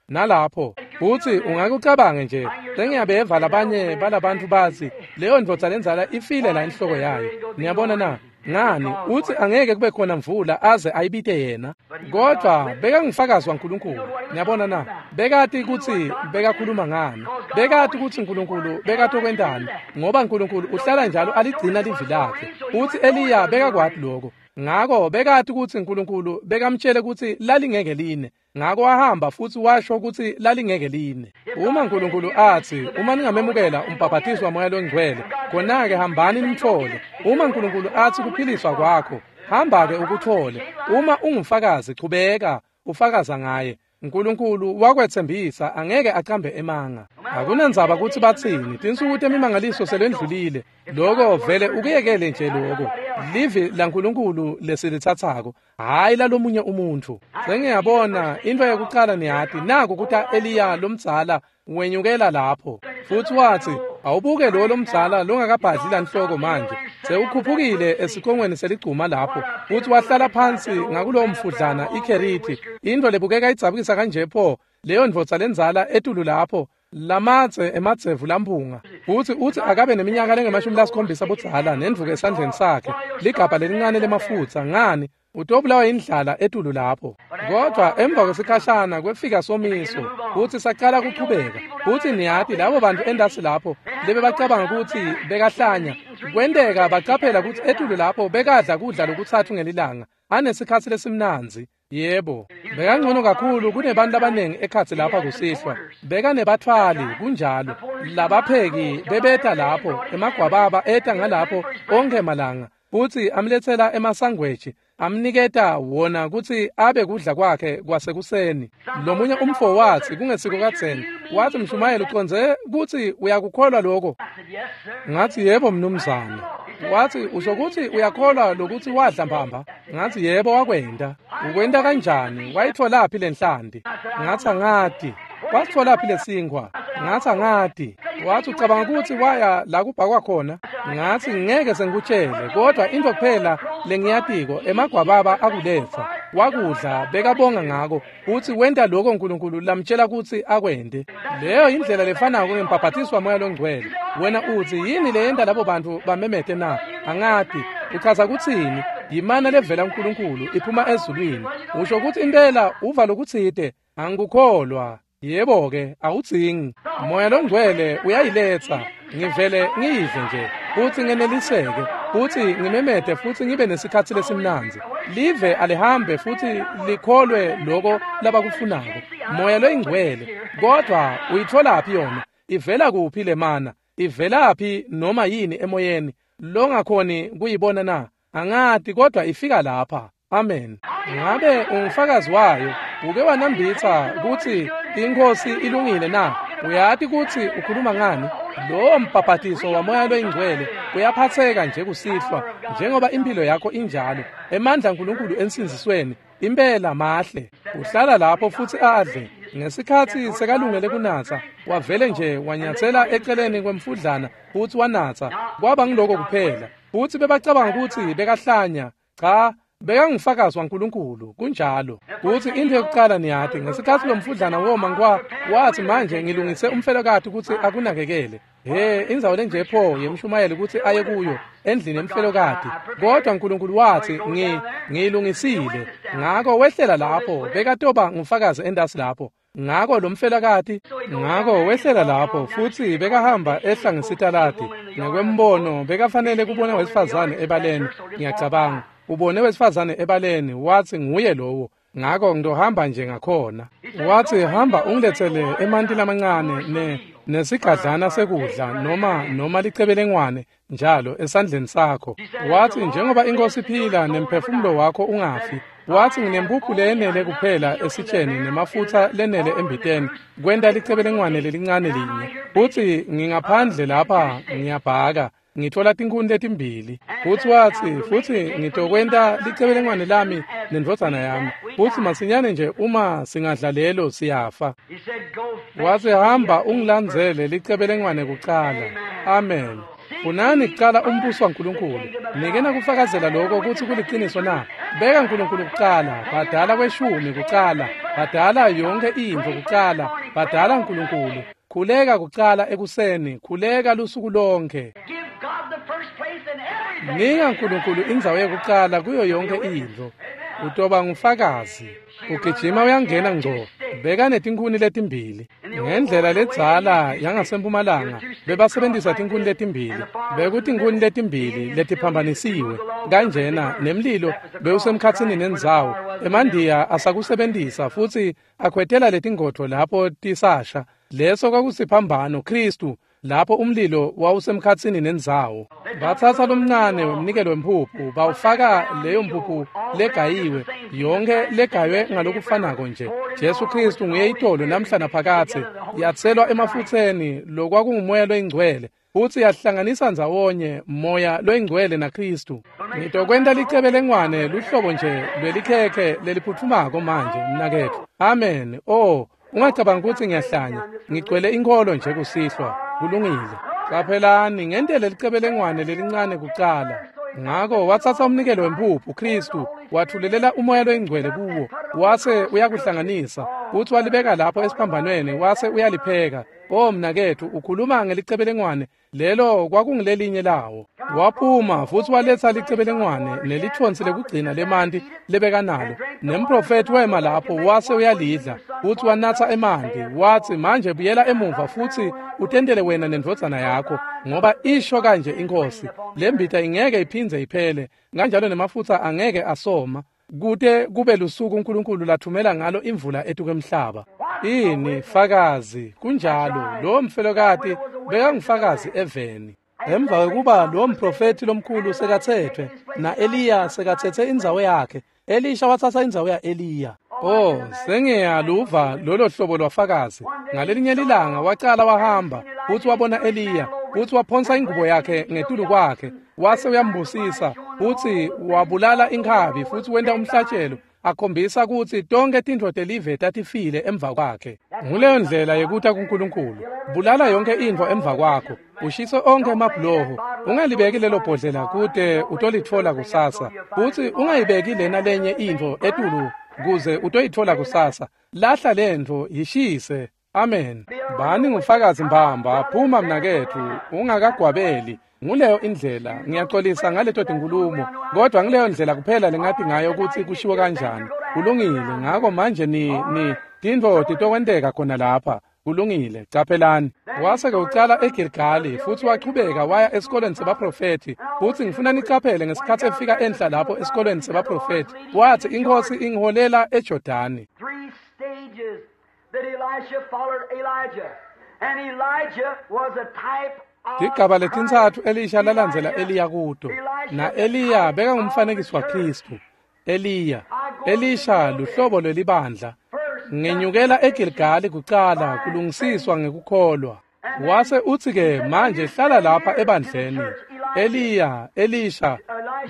nalapho. Futsi ungakucabange nje, sengiyabeva labanye balabantu batsi leyo ndvodza lendzala ifile la enhloko yayo. Niyabona na? Ngani utsi angeke kube khona mvula aze ayibite yena, kodwa bekangufakazi waNkulunkulu. Niyabona na? Bekati kutsi bekakhuluma ngani, bekati kutsi uNkulunkulu bekatokwentani, ngoba uNkulunkulu uhlala njalo aligcina livi lakhe. Utsi Eliya bekakwati lokho. Ngako bekati kutsi uNkulunkulu bekamtshele kutsi lalingeke line. Ngako wahamba futsi washo kutsi lalingeke line. Uma uNkulunkulu atsi, uma ningamemukela umbhaphathiso waMoya longcwele, khona-ke hambani nimtfole. Uma uNkulunkulu atsi kuphiliswa kwakho, hamba-ke ukuthole. Uma ungufakazi, chubeka ufakaza ngaye. uNkulunkulu wakwetsembisa, angeke acambe emanga. Akunandzaba kutsi batsini, tinsuku temimangaliso selendlulile. Loko vele ukuyekele nje loko. Livi laNkulunkulu lesilitsatsako, hhayi lalomunye umuntfu. Sengiyabona intfo yekucala niyati, naku kuta Eliya lomdzala wenyukela lapho. Futsi watsi, awubuke lo lomdzala longakabhadli lanhloko manje, sewukhuphukile esikhongweni seligcuma lapho. Futsi wahlala phansi ngakulowo mfudlana iKheriti, intfo lebukeka idzabukisa kanje pho, leyo ndvodza lendzala etulu lapho, lamatse emadzevu lamphunga. Futsi utsi akabe neminyaka lengama-70 budzala nendvuku esandleni sakhe, ligabha lelincane lemafutsa. Ngani, utobulawa indlala etulu lapho. Kodwa emva kwesikhashana kwefika somiso, futsi sacala kuchubeka. Futsi niyati labo bantu endasi lapho lebebacabanga kutsi bekahlanya, kwenteka bacaphela kutsi etulu lapho bekadla kudla lokutsatfu ngelilanga, anesikhatsi lesimnandzi. Yebo, bekangcono kakhulu kunebantu labaningi ekhatsi lapha kusihlwa. Bekanebatfwali kunjalo, labapheki bebeta lapho, emagwababa eta ngalapho onkhe malanga, futsi amletsela emasangweji, amniketa wona kutsi abe kudla kwakhe kwasekuseni. Lomunye umfo watsi kungesiko kadzeni, watsi mshumayeli ucondze kutsi uyakukholwa lokho. Ngathi yebo mnumzane. Wathi usho kutsi uyakholwa lokuthi wadla mbamba? Ngathi yebo wakwenda. Ukwenta kanjani? Wayitholaphi lenhlanti? Ngathi angati. Wasitholaphi lesinkhwa? Ngathi angati. Wathi ucabanga ukuthi waya la kubhakwa khona? Ngathi ngeke sengikutshele, kodwa into kuphela lengiyatiko emagwababa akuletha. Wakudla bekabonga ngako uthi wenta lokho uNkulunkulu lamtshela ukuthi akwende. Leyo indlela lefanako ngembhaphatiswa moya longcwele. Wena uthi yini leyenta labo bantu bamemete na? Angati. Uchaza kutsini? Yimana levela uNkulunkulu iphuma ezulwini. Usho ukuthi impela uva lokutsite angikukholwa. Yebo ke awudzingi. Moya longcwele uyayiletha. Ngivele ngiyidle nje futhi ngeneliseke futhi ngimemete futhi ngibe nesikhatsi lesimnandzi. Live alihambe futhi likholwe lokho labakufunako. Moya loyingcwele, kodwa uyitholaphi yona? Ivela kuphi le mana? Ivelaphi noma yini emoyeni longakhoni kuyibona na? Angati, kodwa ifika lapha. Amen. Ngabe ungufakazi wayo? Uke wanambitha kutsi inkosi ilungile na? Uyati kutsi ukhuluma ngani? Lowo mbhaphathiso wamoya loyingcwele uyaphatheka nje kusihlwa njengoba impilo yakho injalo. Emandla aNkulunkulu ensindzisweni impela mahle. Uhlala lapho futhi adle. Ngesikhatsi sekalungele kunatsa, wavele nje wanyatsela eceleni kwemfudlana futhi wanatsa. Kwaba ngiloko kuphela. Futhi bebacabanga kutsi bekahlanya. Cha, bekangufakazi waNkulunkulu, kunjalo. Kuthi into yokuqala niyati, ngesikhatsi lomfudlana woma ngwa, wathi manje ngilungise umfelokati kutsi akunakekele. He, indzawo lenje pho yemshumayeli kutsi aye kuyo endlini yemfelokati. Kodwa uNkulunkulu wathi ngiyilungisile. Ngako wehlela lapho, bekatoba ngufakazi endasi lapho. Ngako lomfelokati, ngako wehlela lapho futhi bekahamba ehla ngesitaladi. Ngekwembono bekafanele kubona wesifazane ebaleni, ngiyacabanga. Ubone wesifazane ebaleni, wathi nguye lowo. Ngako ngizohamba nje ngakhona. Wathi hamba ungilethele emanti lamancane nesigadlana sekudla noma licebelengwane njalo esandleni sakho. Wathi njengoba inkosi iphila nemphefumulo wakho ungafi. Wathi nginempuphu leyenele kuphela esitsheni nemafutha lenele embiteni kwenta licebelengwane lelincane linye. Futhi ngingaphandle lapha ngiyabhaka. Ngithola tinkhuni letimbili. Futhi wathi futhi ngitokwenta licebelengwane lami nendvodzana yami. Futhi masinyane nje uma singadla lelo siyafa. Wathi hamba ungilandzele licebelengwane kucala. Amen. Funani kucala umbuso waNkulunkulu. Nike nakufakazela lokho kutsi kuliciniso na? Beka uNkulunkulu kucala, badala kweshumi kucala, badala yonke intfo kucala, badala uNkulunkulu. Khuleka kucala ekuseni, khuleka lusuku lonke. Nika uNkulunkulu indzawo yokucala kuyo yonke intfo. Utoba ngufakazi. Ugijima uyangena ngco. Beka netinkhuni letimbili. Ngendlela ledzala yangasempumalanga bebasebenzisa tinkhuni letimbili. Bekutinkhuni letimbili letiphambanisiwe kanjena nemlilo bewusemkhatsini nendzawo. Emandiya asakusebenzisa futhi akhwetela letingodvo lapho tisasha. Leso kwakusiphambano Kristu lapho umlilo wawusemkhatsini nendzawo. Batsatsa lomncane wemnikelo wemphuphu bawufaka leyo mphuphu legayiwe yonke legaywe ngalokufanako nje. Jesu Kristu nguye itolo namhla naphakadze. Yatselwa emafutseni lokwakungumoya loyingcwele futhi yahlanganisa ndzawonye moya loyingcwele naKristu. Ngitokwenta licebelengwane luhlobo nje lwelikhekhe leliphutfumako manje mnaketfu. Amen. Oh, ungacabanga kutsi ngiyahlanya. Ngigcwele inkholo nje kusihlwa. Kulungile. Qaphelani ngentele licebelengwane lelincane kucala. Ngako watsatsa umnikelo wemphuphu Kristu wathulelela umoya loyingcwele kuwo, wase uyakuhlanganisa futhi walibeka lapho esiphambanweni wase uyalipheka. Oh mnaketfu, ukhuluma ngelicebelengwane lelo kwakungilelinye lawo. Waphuma futhi waletha licebelengwane nelithonsi lekugcina lemanti lebekanalo. Nemprofethi wema lapho wase uyalidla futhi wanatsa emanti. Wathi manje buyela emuva futhi utendele wena nendvodzana yakho, ngoba isho kanje inkosi, lembita ingeke iphindze iphele, kanjalo nemafutsa angeke asoma kute kube lusuku uNkulunkulu lathumela ngalo imvula etukwemhlaba. Ini fakazi kunjalo. Lo mfelokati bekangufakazi eveni. Emva kwekuba lowo mprofethi lomkhulu sekathethwe na-Eliya sekathethe indzawo yakhe, Elisha watsatsa indzawo ya-Eliya. Oh, sengiyaluva lolo hlobo lwafakazi. Ngalelinye lilanga wacala wahamba futsi wabona Eliya, futsi waphonsa ingubo yakhe ngetulu kwakhe, wase uyambusisa, futsi wabulala inkhabi futsi wenta umhlatshelo, akhombisa kutsi tonke tintfo telive tatifile emva kwakhe. Nguleyo ndlela yekuta kuNkulunkulu. Bulala yonke intfo emva kwakho, ushise onkhe emabhuloho, ungalibeki lelo bhodlela kute utolitfola kusasa, futsi ungayibeki lena lenye intfo etulu kuze utoyitfola kusasa. Lahla lentfo, yishise. Amen. Bani ngufakazi mbamba, phuma mnaketfu, ungakagwabeli. Nguleyo indlela. Ngiyaxolisa ngaleto tinkhulumo, kodwa nguleyo ndlela kuphela lengati ngayo kutsi kushiwo kanjani. Kulungile. Ngako manje ni tintfo titokwenteka khona lapha. Kulungile, caphelani. Wase-ke ucala eGilgali futsi wachubeka waya esikolweni sebaprofethi. Futsi ngifuna nicaphele ngesikhatsi efika enhla lapho esikolweni sebaprofethi, watsi iNkhosi ingiholela eJordani. 3 stages that Elisha followed Elijah. And Elijah was a type of Tigaba letintsatfu Christ. Elisha lalandzela Eliya kuto. Na-Eliya bekangumfanekiso waKhristu. Eliya, Elisha luhlobo lwelibandla. Ngenyukela eGilgali kucala kulungisiswa ngekukholwa. Wase utsi-ke manje hlala lapha ebandleni. Eliya, Elisha,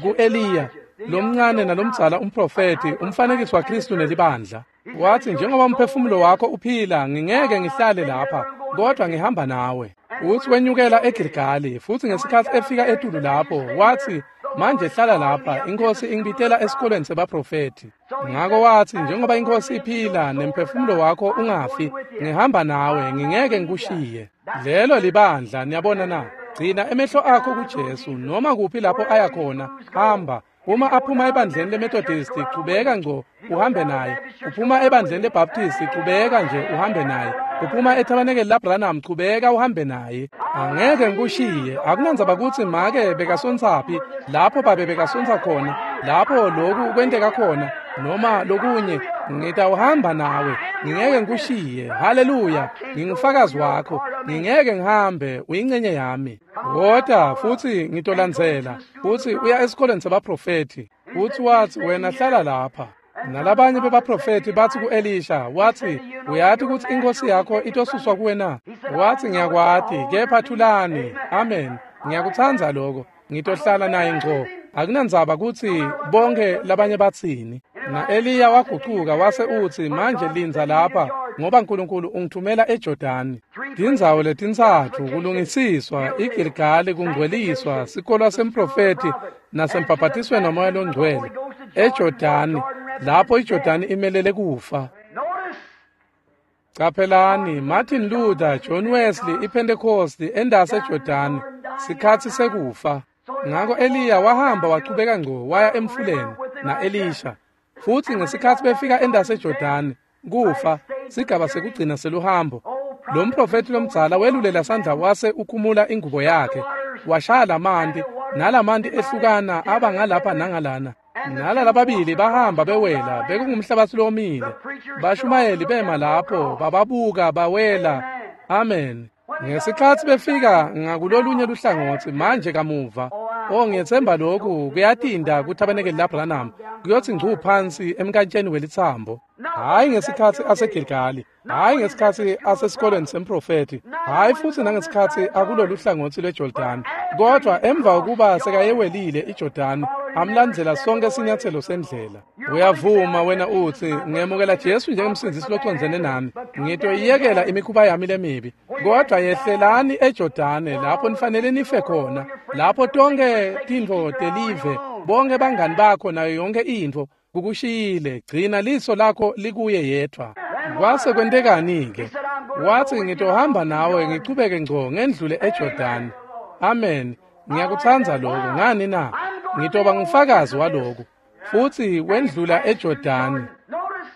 ku-Eliya, lomncane nalomdzala umprofethi, umfanekiso waKhristu nelibandla. Watsi njengoba umphefumulo wakho uphila, ngingeke ngihlale lapha, kodwa ngihamba nawe. Utsi wenyukela eGilgali, futsi ngesikhatsi efika etulu lapho, watsi manje hlala lapha, iNkhosi ingibitela esikolweni sebaprofethi. Ngako watsi njengoba iNkhosi iphila nemphefumulo wakho ungafi, ngihamba nawe, ngingeke ngikushiye. Lelo libandla, niyabona na? Gcina emehlo akho kuJesu, noma kuphi lapho aya khona, hamba. Uma aphuma ebandleni leMethodist, chubeka ngco uhambe naye. Uphuma ebandleni leBaptist, chubeka nje uhambe naye. Uphuma ethabanekeli laBranham, chubeka uhambe naye. Angeke ngikushiye. Akunandzaba kutsi make bekasontsaphi, lapho babe bekasontsa khona, lapho loku kwenteka khona, noma lokunye, ngitawuhamba nawe. Ngingeke ngikushiye. Haleluya. Ngingufakazi wakho. Ngingeke ngihambe, uyincenye yami. Wota futsi ngitolandzela. Futsi uya esikolweni sebaprofethi. Futsi watsi wena hlala lapha. Nalabanye bebaprofethi batsi ku-Elisha, watsi, uyati kutsi inkhosi yakho itosuswa kuwe na? Watsi ngiyakwati, kepha thulani. Amen. Ngiyakutsandza lokho. Ngitohlala naye ngco. Akunandzaba kutsi bonke labanye batsini. Na-Eliya wagucuka wase utsi manje lindza lapha, ngoba Nkulunkulu ungithumela eJordani. Tindzawo letintsatfu kulungisiswa, iGilgali kungcweliswa, sikolwa semprofethi nasembhabhatisweni waMoya loNgcwele eJordani, lapho iJordani imelele kufa. Notice Caphelani, Martin Luther, John Wesley, iPentecost endase eJordani, sikhatsi sekufa. Ngako Eliya wahamba wachubeka ngco waya emfuleni na-Elisha. Futsi ngesikhatsi befika endase eJordani, kufa, sigaba sekugcina seluhambo. Lo mprofethi lomdzala welulela sandla wase ukhumula ingubo yakhe, washaya lamanti, nalamanti ehlukana aba ngalapha nangalana. Nala lababili bahamba bewela, bekungumhlabatsi lomile. Bashumayeli bema lapho, bababuka bawela. Amen. Ngesikhatsi befika ngakulolunye luhlangotsi manje kamuva, oh ngiyetsemba lokhu kuyatinda kuthabanekeli laBranham, kuyotsi ngcu phansi emkantsheni welitsambo. Hhayi ngesikhatsi aseGilgali, hhayi ngesikhatsi asesikolweni semprofethi, hhayi futsi nangesikhatsi akulolu hlangotsi lweJordani, kodwa emva kokuba sekayewelile iJordani, amlandzela sonke sinyatselo sendlela. Uyavuma wena utsi, ngemukela Jesu njengemsindzisi locondzene nami, ngitoyiyekela imikhuba yami lemibi. Kodwa yehlelani eJordani lapho nifanele nife khona, lapho tonke tintfo telive, bonke bangani bakho nayo yonke intfo kukushiyile. Gcina liso lakho likuye yedvwa. Kwase kwentekani-ke? Watsi ngitohamba nawe ngichubeke ngco ngendlule eJordani. Amen. Ngiyakutsandza lokho. Ngani na? Ngitoba ngufakazi waloku. Futsi wendlula eJordani. Notice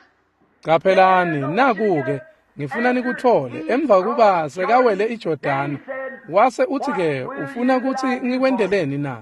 Caphelani, naku-ke ngifuna nikuthole. Emva kuba sekawele iJordani, wase utsi-ke ufuna kutsi ngikwenteleni na?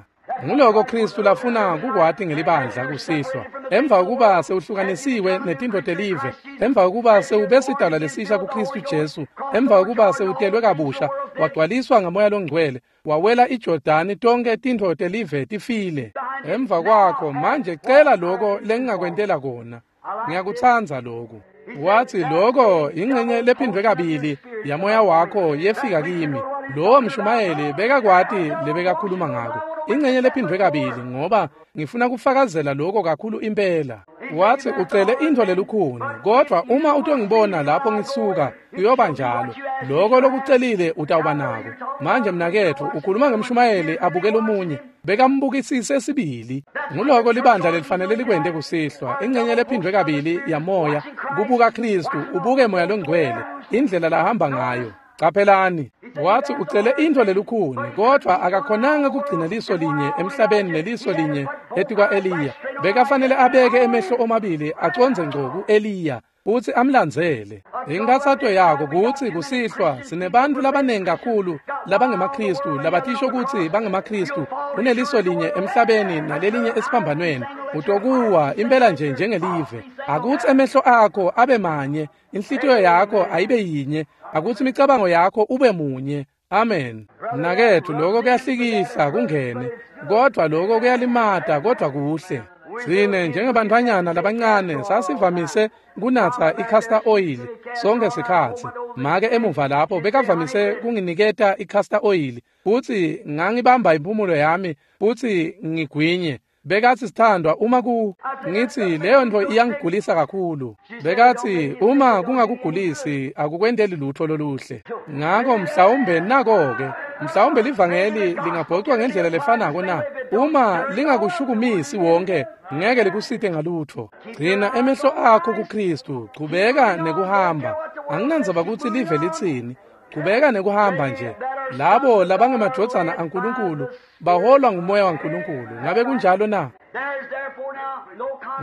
Nguloko Kristu lafuna kukwati ngelibandla kusihlwa. Emva kokuba sewuhlukanisiwe netintfo telive, emva kokuba sewube sidalwa lesisha kuKristu Jesu, emva kokuba sewutelwe kabusha, wagcwaliswa ngamoya longcwele, wawela iJordani, tonke tintfo telive tifile emva kwakho. Manje cela lokho lengingakwentela kona. Ngiyakutsandza lokhu. Wathi lokho ingxenye lephindwe kabili yamoya wakho yefika kimi. Lowo mshumayeli bekakwati lebekakhuluma ngako. Ingxenye lephindwe kabili, ngoba ngifuna kufakazela lokho kakhulu impela. Wathi ucele intfo lelukhuni, kodwa uma utongibona lapho ngisuka kuyoba njalo. Lokho lokucelile utawuba nako. Manje mnaketfu, ukhuluma ngemshumayeli abukela omunye, bekambukisise sibili. Nguloko libandla lelifanele likwente kusihlwa, ingxenye lephindwe kabili yamoya, kubuka Kristu, ubuke moya longcwele, indlela lahamba ngayo. Caphelani, wathi ucele intfo lelukhuni, kodwa akakhonanga kugcina liso linye emhlabeni neliso linye etikwa-Eliya. Bekafanele abeke emehlo omabili acondze ngco ku-Eliya futsi amlandzele. Inkhatsato yako kutsi kusihlwa sinebantfu labanengi kakhulu labangemaKhristu labatisho kutsi bangemaKhristu, uneliso linye emhlabeni nalelinye esiphambanweni. Utokuwa impela nje njengelive. Akutsi emehlo akho abe manye, inhlitiyo yakho ayibe yinye, akutsi imicabango yakho ube munye. Amen. Mnaketfu, lokho kuyahlikihla kungene, kodwa lokho kuyalimata, kodwa kuhle. Sine njengebantfwanyana labancane sasivamise kunatsa i-castor oil sonke sikhatsi. Make emuva lapho bekavamise kunginiketa i-castor oil, futsi ngangibamba impumulo yami futsi ngigwinye. Bekathi sithandwa uma ku ngithi leyo nto iyangigulisa kakhulu. Bekathi uma kungakugulisi akukwenteli lutho loluhle. Ngako mhlawumbe nako-ke, mhlawumbe livangeli lingabhocwa ngendlela lefanako na. Uma lingakushukumisi wonke, ngeke likusite ngalutho. Gcina emehlo akho kuKristu, chubeka nekuhamba. Anginandzaba kutsi live litsini, chubeka nekuhamba nje. Labo labangemadvodzana aNkulunkulu baholwa ngumoya waNkulunkulu. Ngabe kunjalo na?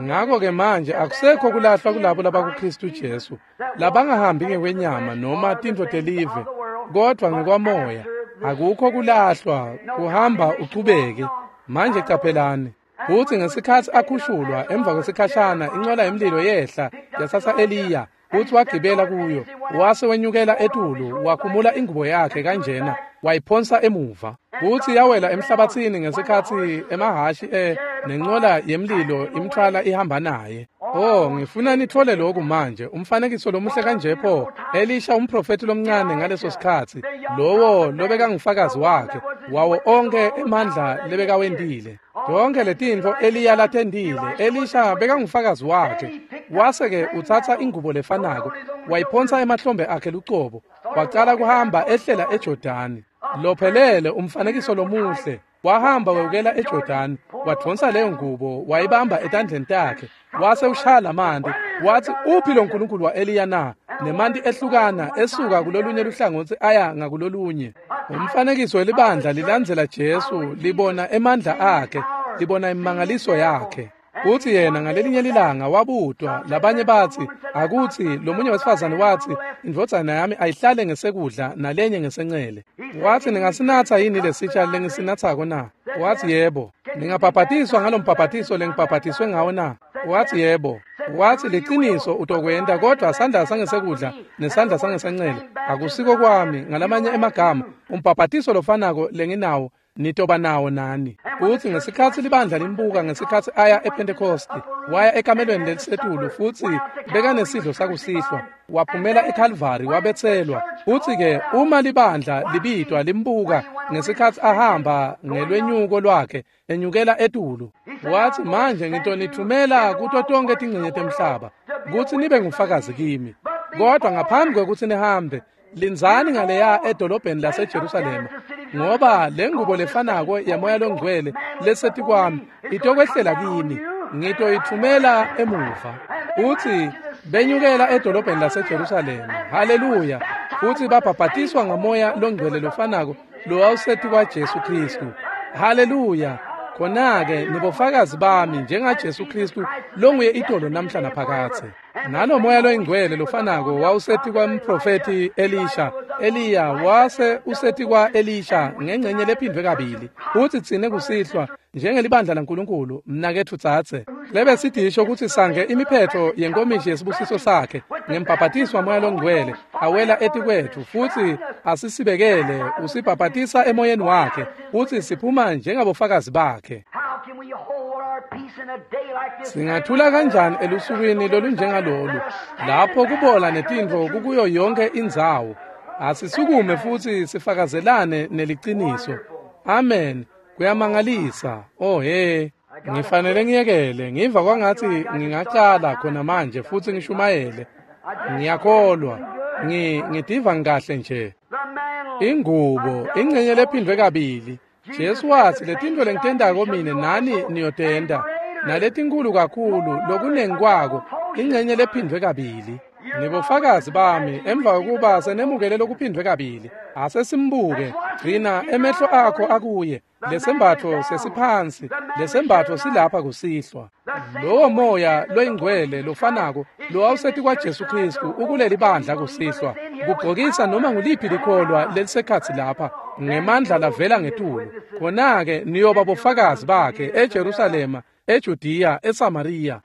Ngako-ke manje akusekho kulahlwa kulabo labakuKristu Jesu, labangahambi ngekwenyama noma tintfo telive, kodwa ngekwamoya. Akukho kulahlwa, kuhamba uchubeke. Manje caphelani. Futsi ngesikhatsi akhushulwa emva kwesikhashana, incola yemlilo yehla yatsatsa Eliya, futsi wagibela kuyo, wase wenyukela etulu, wakhumula ingubo yakhe kanjena, wayiphonsa emuva. Futsi yawela emhlabatsini ngesikhatsi emahhashi nencola yemlilo imthwala ihamba naye. Oh, ngifuna nitfole lokhu manje, umfanekiso lomuhle kanje pho. Elisha umprofethi lomncane ngaleso sikhatsi, lowo lobekangufakazi wakhe wawo onke emandla lebekawentile. Tonke letintfo Eliya latentile, Elisha bekangufakazi wakhe. Wase-ke utsatsa ingubo lefanako, wayiphonsa emahlombe akhe lucobo, wacala kuhamba ehlela eJordani. Lophelele umfanekiso lomuhle, wahamba wewukela eJordani, wadvonsa leyo ngubo, wayibamba etandleni takhe, wase ushaya lamanti, wathi uphi lo Nkulunkulu wa-Eliya na? Nemanti ehlukana esuka kulolunye luhlangotsi aya ngakulolunye. Umfanekiso welibandla lilandzela Jesu, libona emandla akhe, libona imimangaliso yakhe. Kuthi yena ngalelinye lilanga wabutwa, labanye batsi akutsi lomunye wesifazane watsi indvodzana yami ayihlale ngesekudla nalenye ngesencele. Wathi ningasinatsa yini lesitsha lengisinatsako na? Wathi yebo. Ningabhabhatiswa ngalombhabhatiso lengibhabhatiswe ngawo na? Wathi yebo. Wathi liciniso utokwenta, kodwa sandla sangesekudla nesandla sangesencele akusiko kwami. Ngalamanye emagama, umbhabhatiso lofanako lenginawo nitoba nawo nani. Futsi ngesikhatsi libandla limbuka ngesikhatsi aya ePhentekosti, waya ekamelweni lelisetulu futsi bekanesidlo sakusihlwa, waphumela eKalvari wabetselwa. Futsi-ke uma libandla libitwa limbuka ngesikhatsi ahamba ngelwenyuko lwakhe enyukela etulu, wathi manje ngitonithumela kuto tonke tingxenye temhlaba kutsi nibe ngufakazi kimi. Kodwa ngaphambi kwekutsi nihambe, lindzani ngaleya edolobheni laseJerusalema, ngoba le ngubo lefanako yamoya longcwele lesetikwami itokwehlela kini, ngitoyithumela emuva. Futsi benyukela edolobheni laseJerusalema. Haleluya! Futsi babhabhatiswa ngamoya longcwele lofanako lowawusetikwa Jesu Khristu. Haleluya! Khona-ke nibofakazi bami njengaJesu Khristu longuye itolo namhla naphakadze. Nalo moya loyingcwele lofanako wawusetikwa mprofethi Elisha. Eliya wase usetikwa Elisha ngengcenye lephindwe kabili. Futsi tsine kusihlwa njengelibandla laNkulunkulu, mnaketfu tsatse, lebe sidisho kutsi sange imiphetho yenkomishi yesibusiso sakhe ngembhabhatiso waMoya Longcwele awela etikwetfu, futsi asisibekele usibhabhatisa emoyeni wakhe, futsi siphuma njengabofakazi bakhe. Singathula kanjani elusukwini lolunjengalolu, lapho kubola netintfo kukuyo yonke indzawo? Asisukume futsi sifakazelane neliciniso. Amen. Kuyamangalisa. Oh he, ngifanele ngiyekele. Ngiva kwangatsi ngingacala khona manje futsi ngishumayele. Ngiyakholwa. Ngitiva ngikahle nje. Ingubo, ingcenye lephindwe kabili. Jesu watsi letintfo lengitentako mine nani niyotenta, naletinkulu kakhulu lokunengi kwako, ingcenye lephindwe kabili. Nibofakazi bami emva kokuba senemukele lokuphindwe kabili. Asesimbuke, gcina emehlo akho akuye. Lesembatfo sesiphansi, lesembatfo silapha kusihlwa. Lowo moya loyingcwele lofanako lowawusetikwa Jesu Kristu ukuleli bandla kusihlwa, kugqokisa noma nguliphi likholwa lelisekhatsi lapha ngemandla lavela ngetulu. Khona-ke niyoba bofakazi bakhe eJerusalema, eJudiya, eSamariya,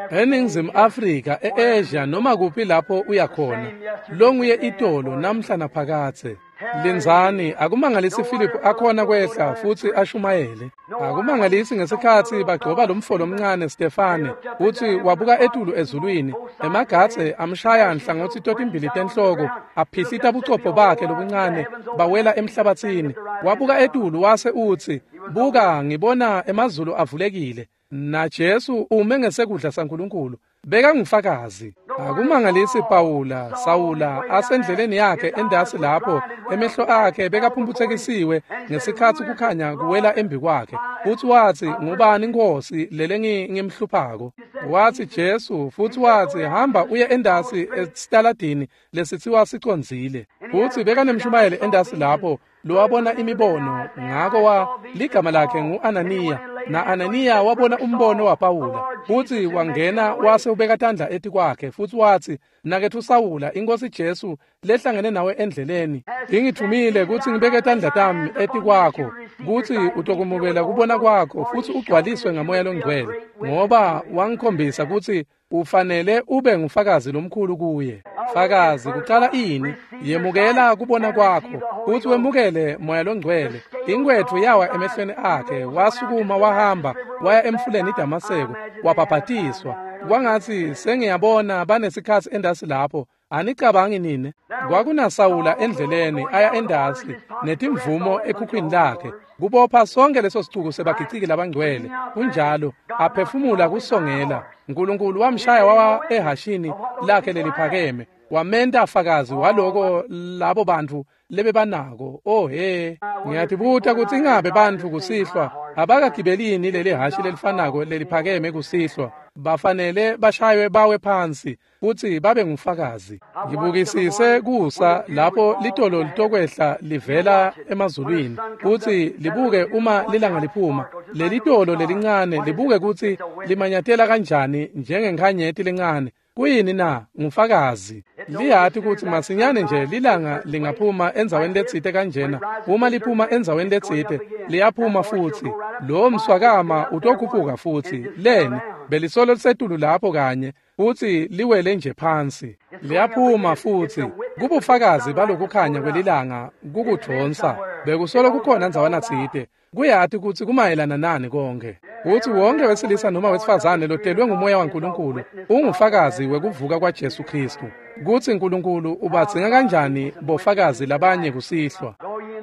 eNingizimu Afrika, e-Asia, noma kuphi lapho uyakhona. Longuye itolo namhla naphakadze. Lindzani, akumangalisi Philip akhona kwehla futsi ashumayele. Akumangalisi ngesikhatsi bagcoba lomfo lomncane Stefane, futsi wabuka etulu ezulwini, emagatse amshaya nhlangothi totimbili tenhloko, aphihlita buchopho bakhe lobuncane bawela emhlabatsini. Wabuka etulu wase utsi, "Buka, ngibona emazulu avulekile, na Jesu ume ngesekudla saNkulunkulu." Bekangufakazi. Akumangalisi Pawula, Sawula asendleleni yakhe endasi lapho, emehlo akhe bekaphumphutsekisiwe ngesikhatsi kukhanya kuwela embi kwakhe. Futsi watsi, "Ngubani Nkosi lele ngimhluphako?" Watsi, "Jesu." Futsi watsi, "Hamba uye endasi esitaladini lesitsiwa sicondzile." Futsi bekanemshumayeli endasi lapho lowabona imibono, ngako ligama lakhe ngu-Ananiya, na-Ananiya wabona umbono waPawula, futsi wangena wase ubeka tandla etikwakhe, futsi watsi, "Mnaketfu Sawula, iNkhosi Jesu lehlangene nawe endleleni ingithumile kutsi ngibeke tandla tami etikwakho, kutsi utokumukela kubona kwakho futsi ugcwaliswe ngaMoya Longcwele, ngoba wangikhombisa kutsi ufanele ube ngufakazi lomkhulu kuye." Fakazi kucala ini? Yemukela kubona kwakho futsi wemukele Moya Longcwele. Inkwethu yawa emehlweni akhe, wasukuma wahamba waya emfuleni iDamaseko, wabhabhatiswa. Kwangatsi sengiyabona banesikhatsi endasi lapho. Anicabangi nine? KwakunaSawula endleleni aya endasi netimvumo ekhukhwini lakhe, kubopha sonke leso sicuku sebagiciki labangcwele. Kunjalo, aphefumula kusongela. Nkulunkulu wamshaya wawa ehashini lakhe leliphakeme, wamenta fakazi waloko labo bantfu lebebanako. Oh he, ngiyatibuta kutsi ingabe bantfu kusihlwa abakagibelini leli hashi lelifanako leliphakeme kusihlwa? Bafanele bashaywe bawe phansi futsi babe ngufakazi. Ngibukisise kusa lapho litolo litokwehla livela emazulwini, futsi libuke uma lilanga liphuma. Lelitolo lelincane libuke kutsi limanyatela kanjani njengenkhanyeti lencane. Kuyini na? Ngufakazi. Liyati kutsi masinyane nje lilanga lingaphuma endzaweni letsite kanjena. Uma liphuma endzaweni letsite, liyaphuma futsi. Lowo mswakama utokhuphuka futsi. Leni? Belisolo lisetulu lapho kanye, futsi liwele nje phansi. Liyaphuma futsi. Kubufakazi balokukhanya kwelilanga kukudvonsa. Bekusolo kukhona ndzawana tsite. Kuyati kutsi kumayelana nani konke. Kutsi wonke wesilisa noma wesifazane lotelwe ngumoya waNkulunkulu ungufakazi wekuvuka kwaJesu Kristu. Kutsi Nkulunkulu ubadzinga kanjani bofakazi labanye kusihlwa.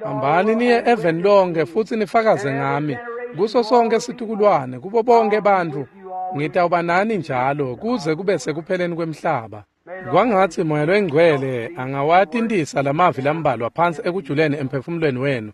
Hambani niye eveni lonke futsi nifakaze ngami kuso sonke situkulwane, kubo bonke bantfu. Ngitawuba nani njalo kuze kube sekupheleni kwemhlaba. Kwangatsi Moya Longcwele angawatintisa lamavi lambalwa phansi ekujuleni emphefumulweni wenu.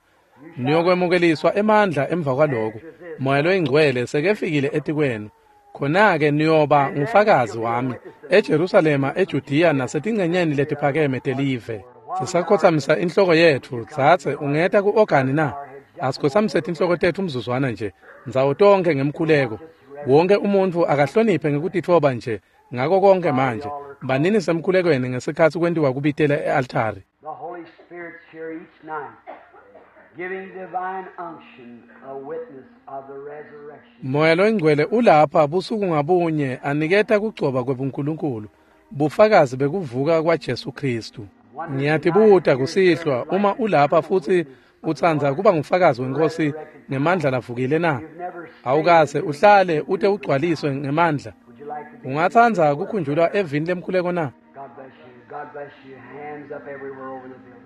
Niyokwemukeliswa emandla emva kwaloko. Moya Longcwele sekefikile etikwenu. Khona-ke niyoba ngufakazi wami eJerusalema, eJudiya nasetingcenyeni letiphakeme telive. Sisakhotsamisa inhloko yetfu. Dzadze, ungeta ku-ogani na? Asikhotsamise tinhloko tetfu umzuzwana nje, ndzawo tonkhe ngemkhuleko. Wonke umuntfu akahloniphe ngekutitfoba nje ngako konke manje. Banini semkhulekweni ngesikhatsi kwentiwa kubitela e-altari. here each night, giving divine unction, a witness of the resurrection. Moya loyingcwele ulapha busuku ngabunye aniketa kugcoba kwebuNkulunkulu, bufakazi bekuvuka kwaJesu Kristu. Ngiyatibuta kusihlwa uma ulapha futsi utsandza kuba ngufakazi wenkosi ngemandla lavukile na? Awukaze uhlale ute ugcwaliswe ngemandla. Would you like to be? Ungatsandza kukhunjulwa evini lemkhuleko na? God bless you. God bless you. Hands up everywhere over the building.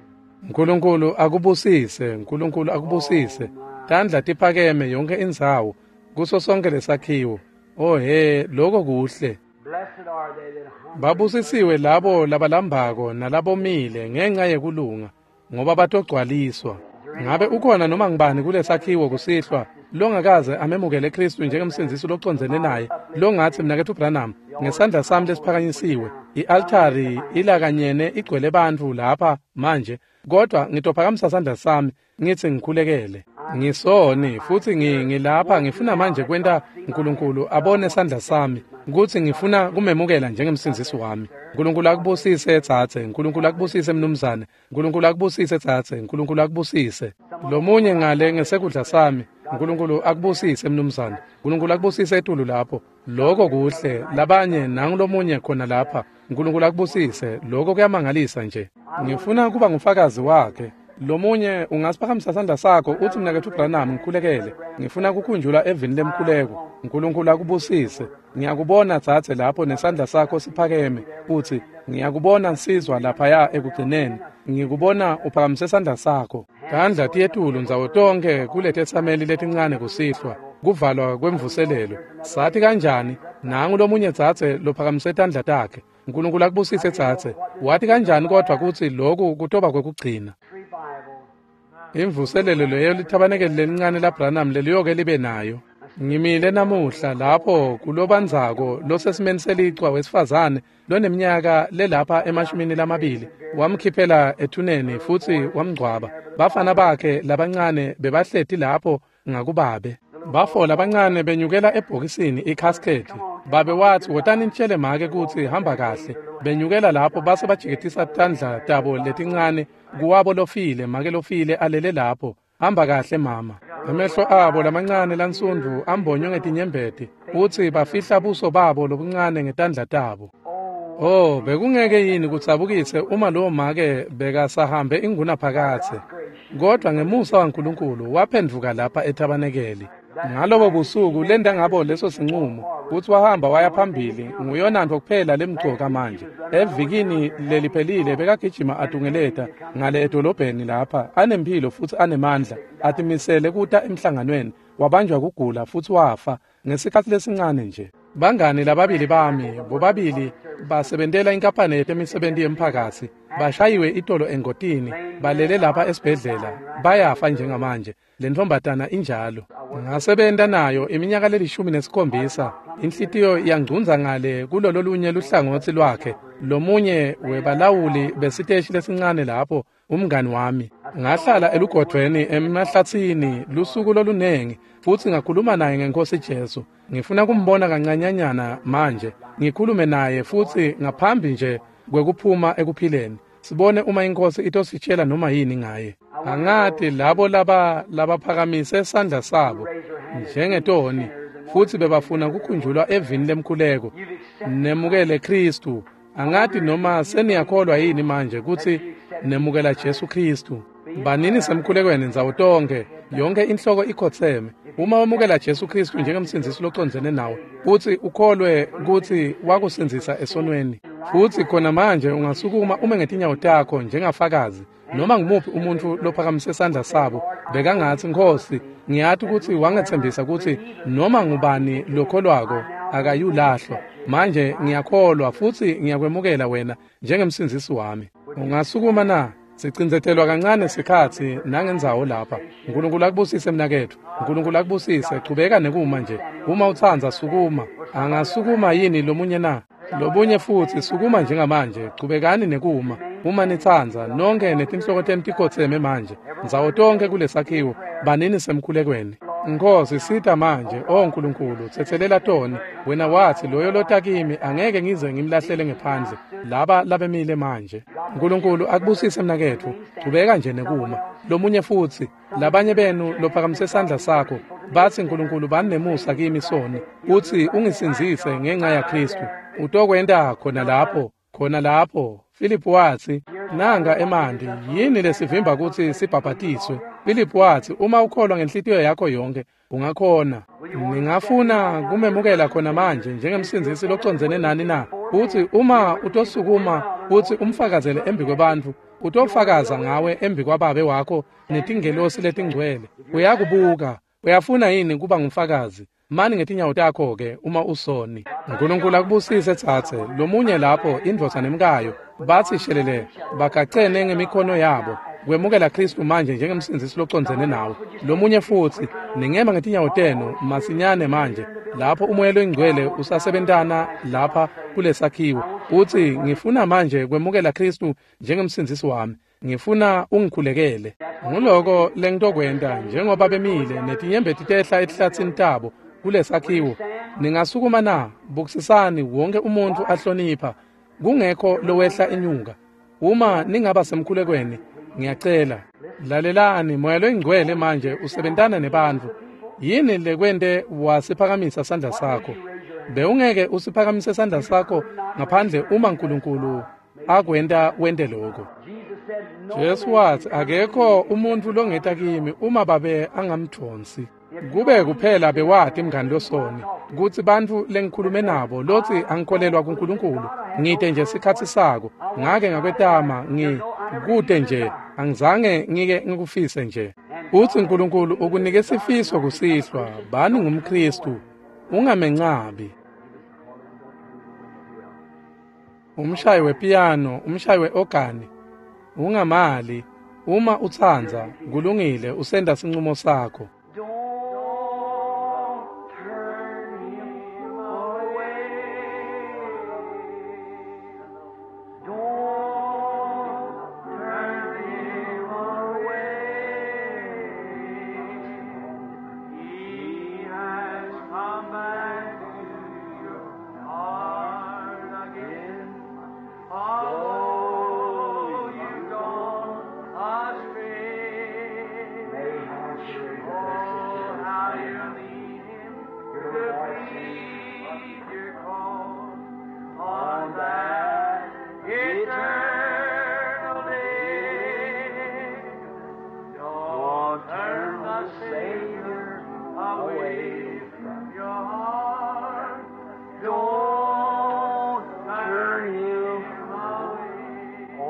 Nkulunkulu akubusise, Nkulunkulu akubusise. Tandla tiphakeme yonke indzawo kuso sonke lesakhiwo. Oh he, lokho kuhle. Blessed are they that hunger. Babusisiwe labo labalambako nalabomile ngenxa yekulunga, ngoba batogcwaliswa. Ngabe ukhona noma ngubani kulesakhiwo kusihlwa longakaze amemukele Kristu njengemsindzisi locondzene naye, longathi mnaketfu Branham, ngesandla sami lesiphakanyisiwe, i-altari ilakanyene igcwele bantfu lapha manje, kodwa ngitophakamisa sandla sami ngithi ngikhulekele. Ngisoni futhi ngilapha ngifuna manje kwenta uNkulunkulu abone sandla sami ukuthi ngifuna kumemukela njengemsindzisi wami. uNkulunkulu akubusise tsatse, uNkulunkulu akubusise mnumzane, uNkulunkulu akubusise tsatse, uNkulunkulu akubusise. Lomunye ngale ngesekudla sami, uNkulunkulu akubusise mnumzane, uNkulunkulu akubusise etulu lapho. Lokho kuhle, labanye nangulomunye khona lapha. uNkulunkulu akubusise, lokho kuyamangalisa nje. Ngifuna kuba ngufakazi wakhe. Lomunye ungasiphakamisa sandla sakho uthi mnaketfu Branham ngikhulekele. Ngifuna kukhunjulwa evini lemkhuleko. uNkulunkulu akubusise. Ngiyakubona tsatse lapho nesandla sakho siphakeme. Uthi ngiyakubona nsizwa laphaya ekugcineni. Ngikubona uphakamise sandla sakho. Tandla tiyetulu ndzawo tonke kuletetsameli letincane kusihlwa. Kuvalwa kwemvuselelo. Sathi kanjani? Nangu lomunye tsatse lophakamise tandla takhe. uNkulunkulu akubusise tsatse. Wathi kanjani kodwa kutsi lokhu kutoba kwekugcina? Revival. Imvuselelo leyo lithabanekeli lelincane laBranham leliyoke libe nayo. Ngimile namuhla lapho kulobandzako losesimeni selicwa wesifazane loneminyaka lelapha 20 wamkhiphela ethuneni futsi wamngcwaba. Bafana bakhe labancane bebahleti lapho ngakubabe. Bafo labancane benyukela ebhokisini ikhasketi. Babe wathi wotani nitshele make kutsi hamba kahle. Benyukela lapho base bajikitisa tandla tabo letincane kuwabo lofile, make lofile alele lapho. Hamba kahle mama. Amehlo abo lamancane lansundvu ambonywe ngetinyembeti utsi bafihla buso babo lobuncane ngetandla tabo. Oh, bekungeke yini kutsabukise uma lowo make bekasahambe ingunaphakadze. Kodwa ngemusa waNkulunkulu waphendvuka lapha ethabanekeli. Ngalobo busuku lenda ngabo leso sinqumo kutsi wahamba waya phambili nguyonantfo kuphela lemgcoka manje. Evikini leliphelile bekagijima atungeleta ngale edolobheni lapha anemphilo futsi anemandla atimisele kuta emhlanganweni. Wabanjwa kugula futsi wafa ngesikhatsi lesincane nje. Bangani lababili bami bobabili basebentela inkampani yetemisebenti yemphakatsi. Bashayiwe itolo engotini, balele lapha esibhedlela, bayafa njengamanje. Le ntombazana injalo. Ngasebenta nayo iminyaka le17, inhlitiyo yangcundza ngale kulololunye luhlangotsi lwakhe. Lomunye webalawuli besiteshi lesincane lapho, umngani wami. Ngahlala elugodvweni emahlatsini lusuku lolunengi futsi ngakhuluma naye ngenkosi Jesu. Ngifuna kumbona kancanyanyana manje, ngikhulume naye futsi ngaphambi nje kwekuphuma ekuphileni. Sibone uma inkosi itositshela noma yini ngaye. Angati labo labaphakamise sandla sabo njengetoni futsi bebafuna kukhunjulwa evini lemkhuleko nemukele Kristu. Angati noma seniyakholwa yini manje kutsi nemukela Jesu Kristu. Banini semkhulekweni ndzawo tonke, yonke inhloko ikhotseme. Uma wamukela Jesu Kristu njengemsindzisi locondzene nawe, futsi ukholwe kutsi wakusindzisa esonweni, futsi khona manje ungasukuma ume ngetinyawo takho njengafakazi. Noma ngumuphi umuntfu lophakamise sandla sabo bekangatsi, Nkhosi, ngiyati kutsi wangetsembisa kutsi noma ngubani lokholwako akayulahlwa. Manje ngiyakholwa futsi ngiyakwemukela wena njengemsindzisi wami. Ungasukuma na? Sicindzetelwa kancane sikhatsi nangendzawo lapha. uNkulunkulu akubusise mnaketfu. uNkulunkulu akubusise. Chubeka nekuma nje. Uma utsandza sukuma. Angasukuma yini lomunye na? Lobunye futsi sukuma njengamanje. Chubekani nekuma. Uma nitsandza nonke netinhloko tenu tikhotseme manje. Ndzawo tonke kulesakhiwo banini semkhulekweni. Nkosi sita manje, o Nkulunkulu, tsetselela toni. Wena wathi loyo lota kimi angeke ngize ngimlahlele ngephandle. Laba labemile manje. Nkulunkulu akubusise mnaketfu. Chubeka nje nekuma. Lomunye futsi, labanye benu lophakamise sandla sakho, bathi Nkulunkulu bani nemusa kimi soni. Uthi ungisindzise ngenxa yaKristu. Utokwenta khona lapho, khona lapho. Philip wathi, nanga emanti, yini lesivimba kutsi sibhabhatiswe? Philip wathi, uma ukholwa ngenhlitiyo yakho yonke, ungakhona. Ningafuna kumemukela khona manje njengemsindzisi locondzene nani na? Uthi uma utosukuma uthi umfakazele embi kwebantfu, utofakaza ngawe embi kwababe wakho netingelosi letingcwele. Uyakubuka, uyafuna yini kuba ngumfakazi? Mani ngetinyawo takho ke uma usoni. Nkulunkulu akubusise tsatse. Lomunye lapho indvodza nemkayo bathi shelele bagacene ngemikhono yabo kwemukela Kristu manje njengemsindzisi locondzene nawe. Lomunye futsi ningema ngetinyawo tenu masinyane manje lapho umoya loyingcwele usasebentana lapha kulesakhiwo. Uthi ngifuna manje kwemukela Kristu njengemsindzisi wami. Ngifuna ungikhulekele. Nguloko lengitokwenta njengoba bemile netinyembeti tehla etihlatsini tabo kulesakhiwo. Ningasukuma na? Bukisisani wonke umuntu ahlonipha, kungekho lowehla enyuka. Uma ningaba semkhulekweni, ngiyacela lalelani. Moya loyingcwele manje usebentana nebantfu. Yini lekwente wasiphakamisa sandla sakho? Bewungeke usiphakamise sandla sakho ngaphandle uma Nkulunkulu akwenta wente lokho. Jesu wathi akekho umuntu longeta kimi uma babe angamdonsi. Kube kuphela bewati mngani losoni kutsi bantfu lengikhulume nabo lotsi angikholelwa kuNkulunkulu, ngite nje sikhatsi sako, ngake ngakwetama ngikute nje, angizange ngike ngikufise nje. Utsi Nkulunkulu ukunike sifiso kusihlwa, bani ngumKristu, ungamencabi. Umshayi wepiyano, umshayi weogani, ungamali. Uma utsandza, kulungile, usenda sincumo sakho.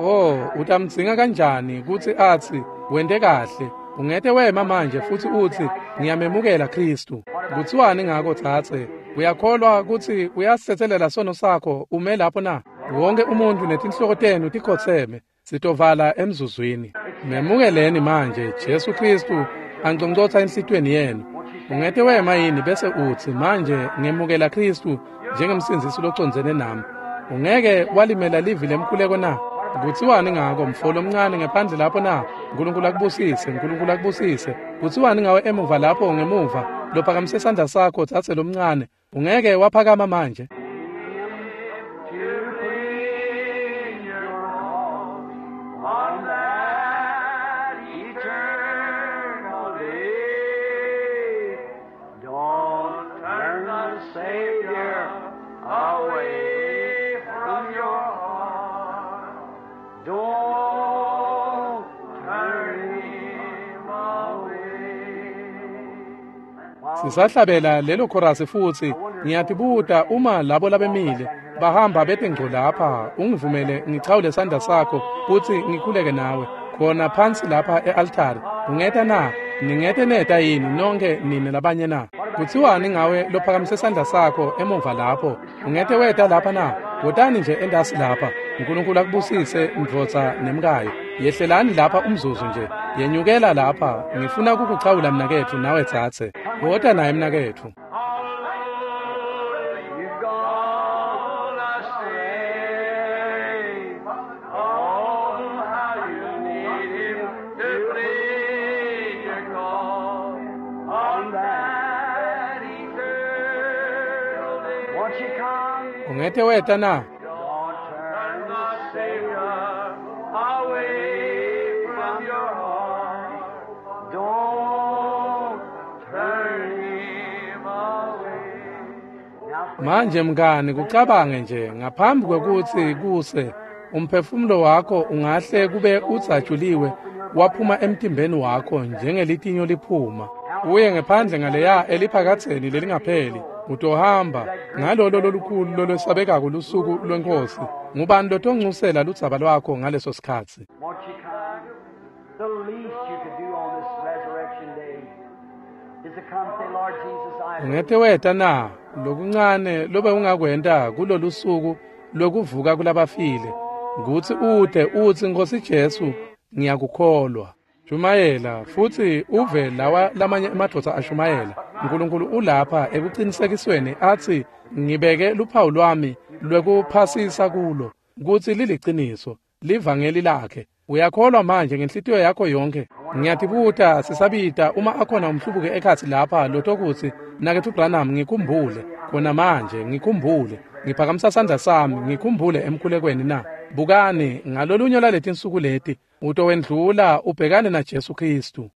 Oh, utamdzinga kanjani kutsi atsi wente kahle? Ungete wema manje futsi utsi ngiyamemukela Kristu. Kutsiwani ngako tsatse? Uyakholwa kutsi uyasithethelela sono sakho ume lapho na? Wonke umuntu netinhloko tenu tikhotseme. Sitovala emzuzwini. Memukeleni manje Jesu Kristu angcongcotsa enhlitiyweni yenu. Ungete wema yini bese utsi manje ngemukela Kristu njengemsindzisi locondzene nami? Ungeke walimela livi lemkhuleko na? Kutsiwani ngako mfo lomncane ngephandle lapho na? Nkulunkulu akubusise, Nkulunkulu akubusise. Kutsiwani ngawe emuva lapho ngemuva lophakamise sandla sakho tsatse lomncane? Ungeke waphakama manje? Sisahlabela lelo chorus futsi ngiyatibuta uma labo labemile bahamba bete ngco lapha, ungivumele ngichawule sandla sakho kutsi ngikhuleke nawe khona phansi lapha e-altari. Ungeta na? Ningete neta yini nonke nine labanye na? Kutsiwani ngawe lophakamise sandla sakho emuva lapho? Ungete weta lapha na? Wotani nje entasi lapha. Nkulunkulu akubusise ndvodza nemkayo. Yehlelani lapha umzuzu nje. Yenyukela lapha. Ngifuna kukuchawula mnaketfu nawe tsatse. Wota naye mnaketfu. On that Ungete weta na? Don't turn the Savior away from your heart. Don't turn him away. Now, Manje mngani, kucabange nje ngaphambi kwekutsi kuse, umphefumulo wakho ungahle kube udzatshuliwe waphuma emtimbeni wakho njengelitinyo liphuma, uye ngephandle ngaleya eliphakadzeni lelingapheli. Utohamba ngalolo lolukhulu lolwesabekako lusuku lwenkosi. Ngubani lotoncusela ludzaba lwakho ngaleso sikhatsi? won't you come? The least you could do on this resurrection day is to come say, Lord Jesus, I Ungete weta na? Lokuncane lobe ungakwenta kulolu suku lwekuvuka kulabafile kutsi ute utsi, Nkosi Jesu, ngiyakukholwa. Shumayela futsi uve lawa lamanye emadvodza ashumayela. Nkulunkulu ulapha ekucinisekisweni atsi, ngibeke luphawu lwami lwekuphasisa kulo kutsi liliciniso livangeli lakhe. Uyakholwa manje ngenhlitiyo yakho yonke? Ngiyatibuta sisabita uma akhona umhlubuke ekhatsi lapha lotokutsi, Mnaketfu Branham, ngikhumbule khona manje, ngikhumbule, ngiphakamisa sandla sami, ngikhumbule emkhulekweni na? Bukani, ngalolunye lwaletinsuku leti utowendlula ubhekane na Jesu Khristu.